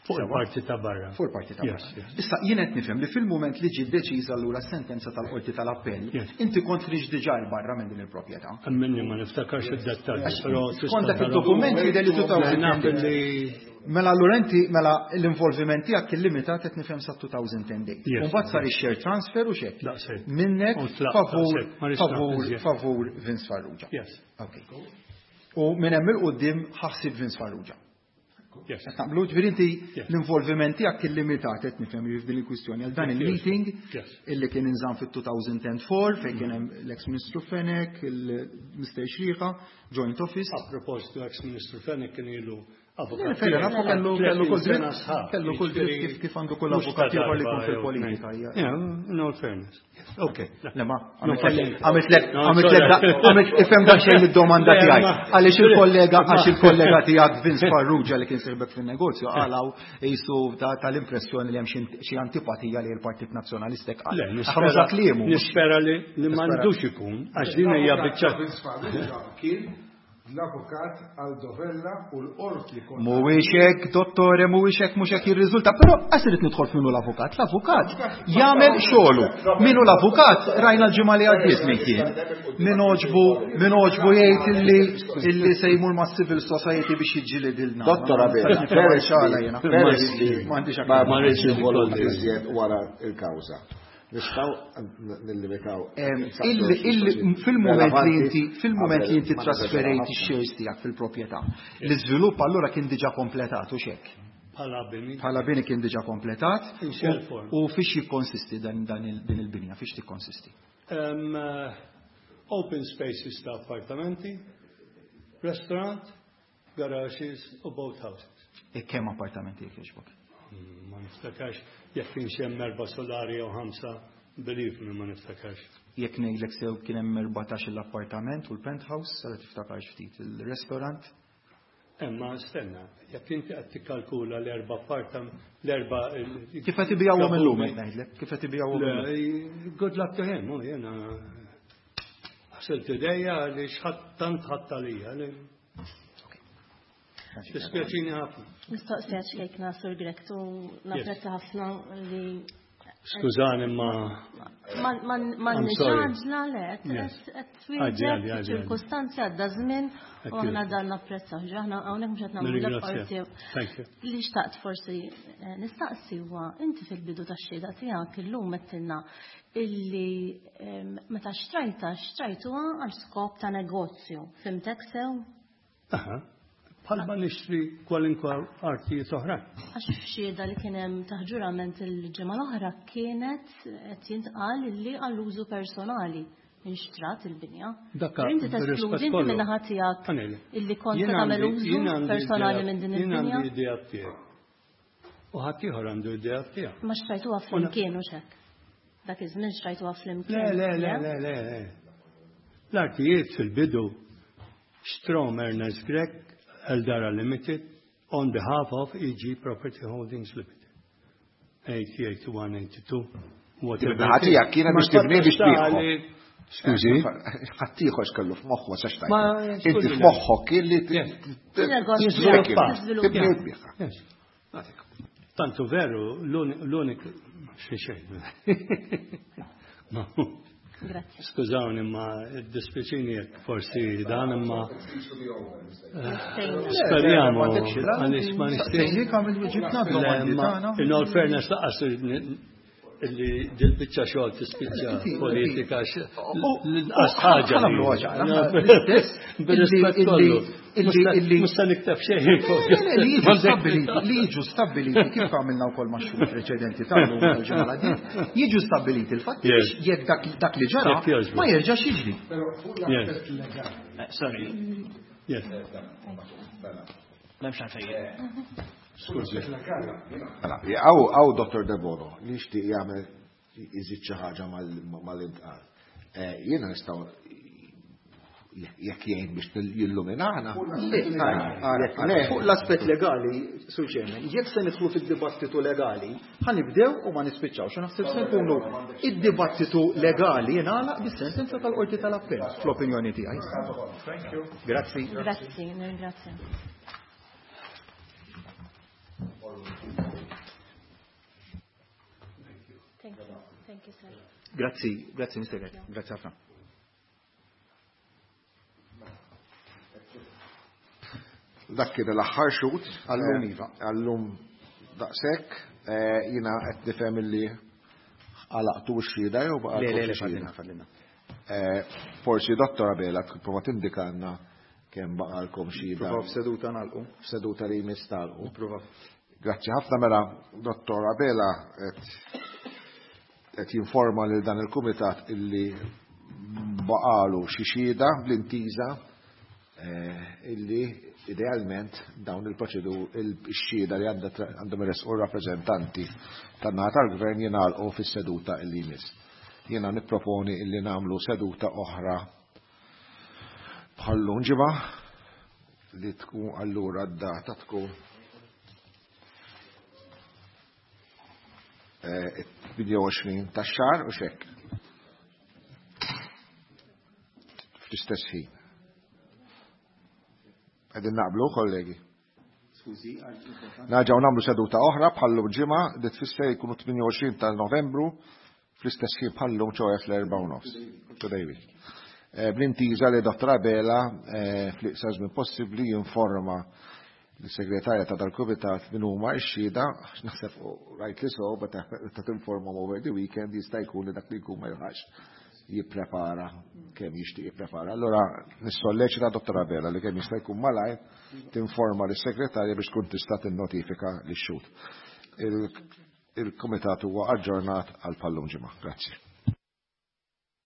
Fuq il-parti ta' barra. Fuq il-parti ta' barra. Issa, jien qed nifhem li fil-moment li ġi deċiża allura sentenza tal-qorti tal-appell, inti kont ħriġt diġà 'l barra minn din il-proprjetà. Minni ma niftakarx id-dettalji, però Skont dak il-dokument jidher li elfejn u Mela allura inti mela l-involviment tiegħek kien limitat qed nifhem sa elfejn u għaxra. U mbagħad sar ix-share transfer u xek. Minnek favur favur favur Vince Farrugia. Yes. Okay. U minn hemm il-quddiem ħassib Vince Farrugia. Yes. Naqblu, ġifieri inti l-involviment tiegħek kien limitat qed nifhem f'din il-kwistjoni għal dan il-meeting illi kien inżamm fit-elfejn u erbgħa fejn kien hemm l-ex-Ministru Fenech, il-Mister Xriħa, Joint Office. A propositu, ex-Ministru Fenech kien ilu avukat. Kellu kellu kull dritt, kellu kull dritt kif għandu kull avukat ieħor li jkun fil-politika. Yeah, in all fairness. Ok, le ma, għamitlek, għamitlek, għamilt ifhem daqsxejn id-domanda tiegħi. Għaliex il-kollega, għax il-kollega tiegħek Vince Farrugia li kien sieħbek fin-negozju qalaw jisu tal-impressjoni li hemm xi antipatija li l-Partit Nazzjonalista qal. Nispera Nispera li m'għandux ikun, għax din hija biċċa. Vince Farrugia kien l-avukat Aldo Vella u l-qorti. Mhuwiex hekk, dottore, mhuwiex hekk, mhux hekk jirriżulta, però qas irid nidħol f'minu l-avukat. L-avukat jagħmel xogħlu. Minu l-avukat rajna l-ġimgħa li għaddiet min kien. Min għoġbu, min għoġbu jgħid illi illi se jmur ma' civil society biex jiġġilidilna. Dottor Abela, m'għandix ma rridx involuti iżjed wara il-kawża. Nistgħu nillimitaw. Fil-moment li inti fil-moment li inti trasferejt ix-shares tiegħek fil-proprjetà, l-iżvilupp allura kien diġà kompletat u xek. Bħala bini. Bħala bini kien diġà kompletat. U fiex jikkonsisti dan din il-binja, fiex tikkonsisti? Open spaces ta' appartamenti, restaurant, garages u boathouses. E kemm appartamenti jekk jogħġbok? Ma niftakarx, jekk kienx hemm erba' solari jew ħamsa, believe me, ma niftakarx. Jekk ngħidlek sew kien hemm erbatax l-appartament u l-penthouse, sara tiftakarx ftit il-restaurant. Emma stenna, jekk inti qed tikkalkula l-erba' appartament, l-erba' Kif qed ibijawhom illum qed ngħidlek, kif qed ibijawhom illum? Good luck to him, u jiena ħsilt idejja li xħadd tant ħadd għalija. Dispjaċini ħafna. Mistoqsija ċkejkna, Sur Grech, u napprezza ħafna li Skużani ma. Ma nixħaġla le, qed twieġeb ċirkustanzi għadda żmien u aħna dan napprezza. Aħna hawnhekk mhux qed nagħmlu parti. Li xtaqt forsi nistaqsi huwa inti fil-bidu tax-xhieda tiegħek illum għedtilna illi meta xtrajta xtrajtuha għal skop ta' negozju. Fhimtek sew? Aha. Bħalma nixtri kwalinkwa artijiet oħrajn. Għax f'xhieda li kien hemm taħt ġurament il-ġimgħa l-oħra kienet qed jintqal illi għall-użu personali inxtrat il-binja. Dakka, Inti teskludi inti min-naħa tiegħek illi kont tagħmel użu personali minn din il-binja. Jien għandi idea tiegħek. U ħadd ieħor għandu idea tiegħek. Ma xtrajtuha flimkien u xek. Dak iż-żmien xtrajtuha flimkien. Le, le, le, le, le. L-artijiet fil-bidu xtrom Ernest Grech Eldara Limited on behalf of E G Property Holdings Limited. eighty, eighty-one, eighty-two, whatever. Ħatija kienet biex tibni biex tbieħu. Skużi? Ħaddieħor x'kellu f'moħħu ma sax tajt. Inti f'moħħok kien li tibni u tbieħha. Tantu veru, l-unik xi xejn. Grazie. Skużawni ma dispjaċini jekk forsi dan imma speriamo għaliex ma nixtieq. In all fairness lanqas illi dil-biċċa xogħol tispiċċa politika l-inqas ħaġa. Bir-rispett kollu. Mhux se nikteb xejn. Li jiġu stabbiliti kif għamilna wkoll ma' xhur preċedenti tal-lum tal-ġimgħa jiġu stabbiliti il-fatt jekk dak li ġara ma jerġax jiġri. Però fuq l-aspett legali. Sorry. Yes. M'hemmx għalfejn. Skużi. Mela, hawn Dottor Debono li jixtieq jagħmel iżid xi ħaġa mal-intqal. Jiena nistgħu jekk jgħin biex jilluminana. Fuq l-aspett legali, Sur Chairman, jekk se nidħlu fid-dibattitu legali, ħa nibdew u ma nispiċċawx. Naħseb se nkunu id-dibattitu legali jingħalaq bis-sentenza tal-Qorti tal-Appell, fl-opinjoni tiegħi. Grazzi. Grazzi, nirringrazzja. Thank you. Thank you, sir. Grazzi, grazzi, Mister Grazzi ħafna. Dak kien l-aħħar xhud għallum iva. Għallum daqshekk, jiena qed nifhem illi għalaqtu x-xhieda jew baqa' Le, le, le, fadlina, fadlina. Forsi Dottor Abela prova tindikanna kemm baqalkom xhieda. Prova f'seduta nagħlqu. F'seduta li jmiss tagħlqu. Prova. Grazzi ħafna mela Dottor Abela qed jinforma lil dan il-kumitat illi baqalu xi xhieda bl-intiża illi idealment dawn il-proċedur il-xhieda li għandhom iressqu rappreżentanti tan-naħa tal-gvern jingħalqu fis-seduta illi jmiss. Jiena nipproponi illi nagħmlu seduta oħra bħallum ġimgħa li tkun allura d-data tkun tmienja u għoxrin tax-xahar u xekk. Fl-istess ħin. Qegħdin naqblu, kollegi. Nerġgħu nagħmlu seduta oħra bħallum ġimgħa li tfisser jkunu tmienja u għoxrin ta' Novembru fl-istess ħin bħallum ċoħe fl-erba' u nofs. Today week. Bl-intiża li Dottor Abela fl-iqsar żmien possibbli jinforma l-segretarja ta' dal-kumitat min huma x-xhieda, naħseb rightly so, meta tinforma over the weekend jista' jkun li dak li jkun ma jilħaqx jipprepara kemm jixtieq jipprepara. Allura nissolleċita Dottor Abela li kemm jista' jkun malajr tinforma lis-segretarja biex tkun tista' tinnotifika lix-xhud. Il-kumitat huwa aġġornat għal pallum ġimgħa. Grazzi.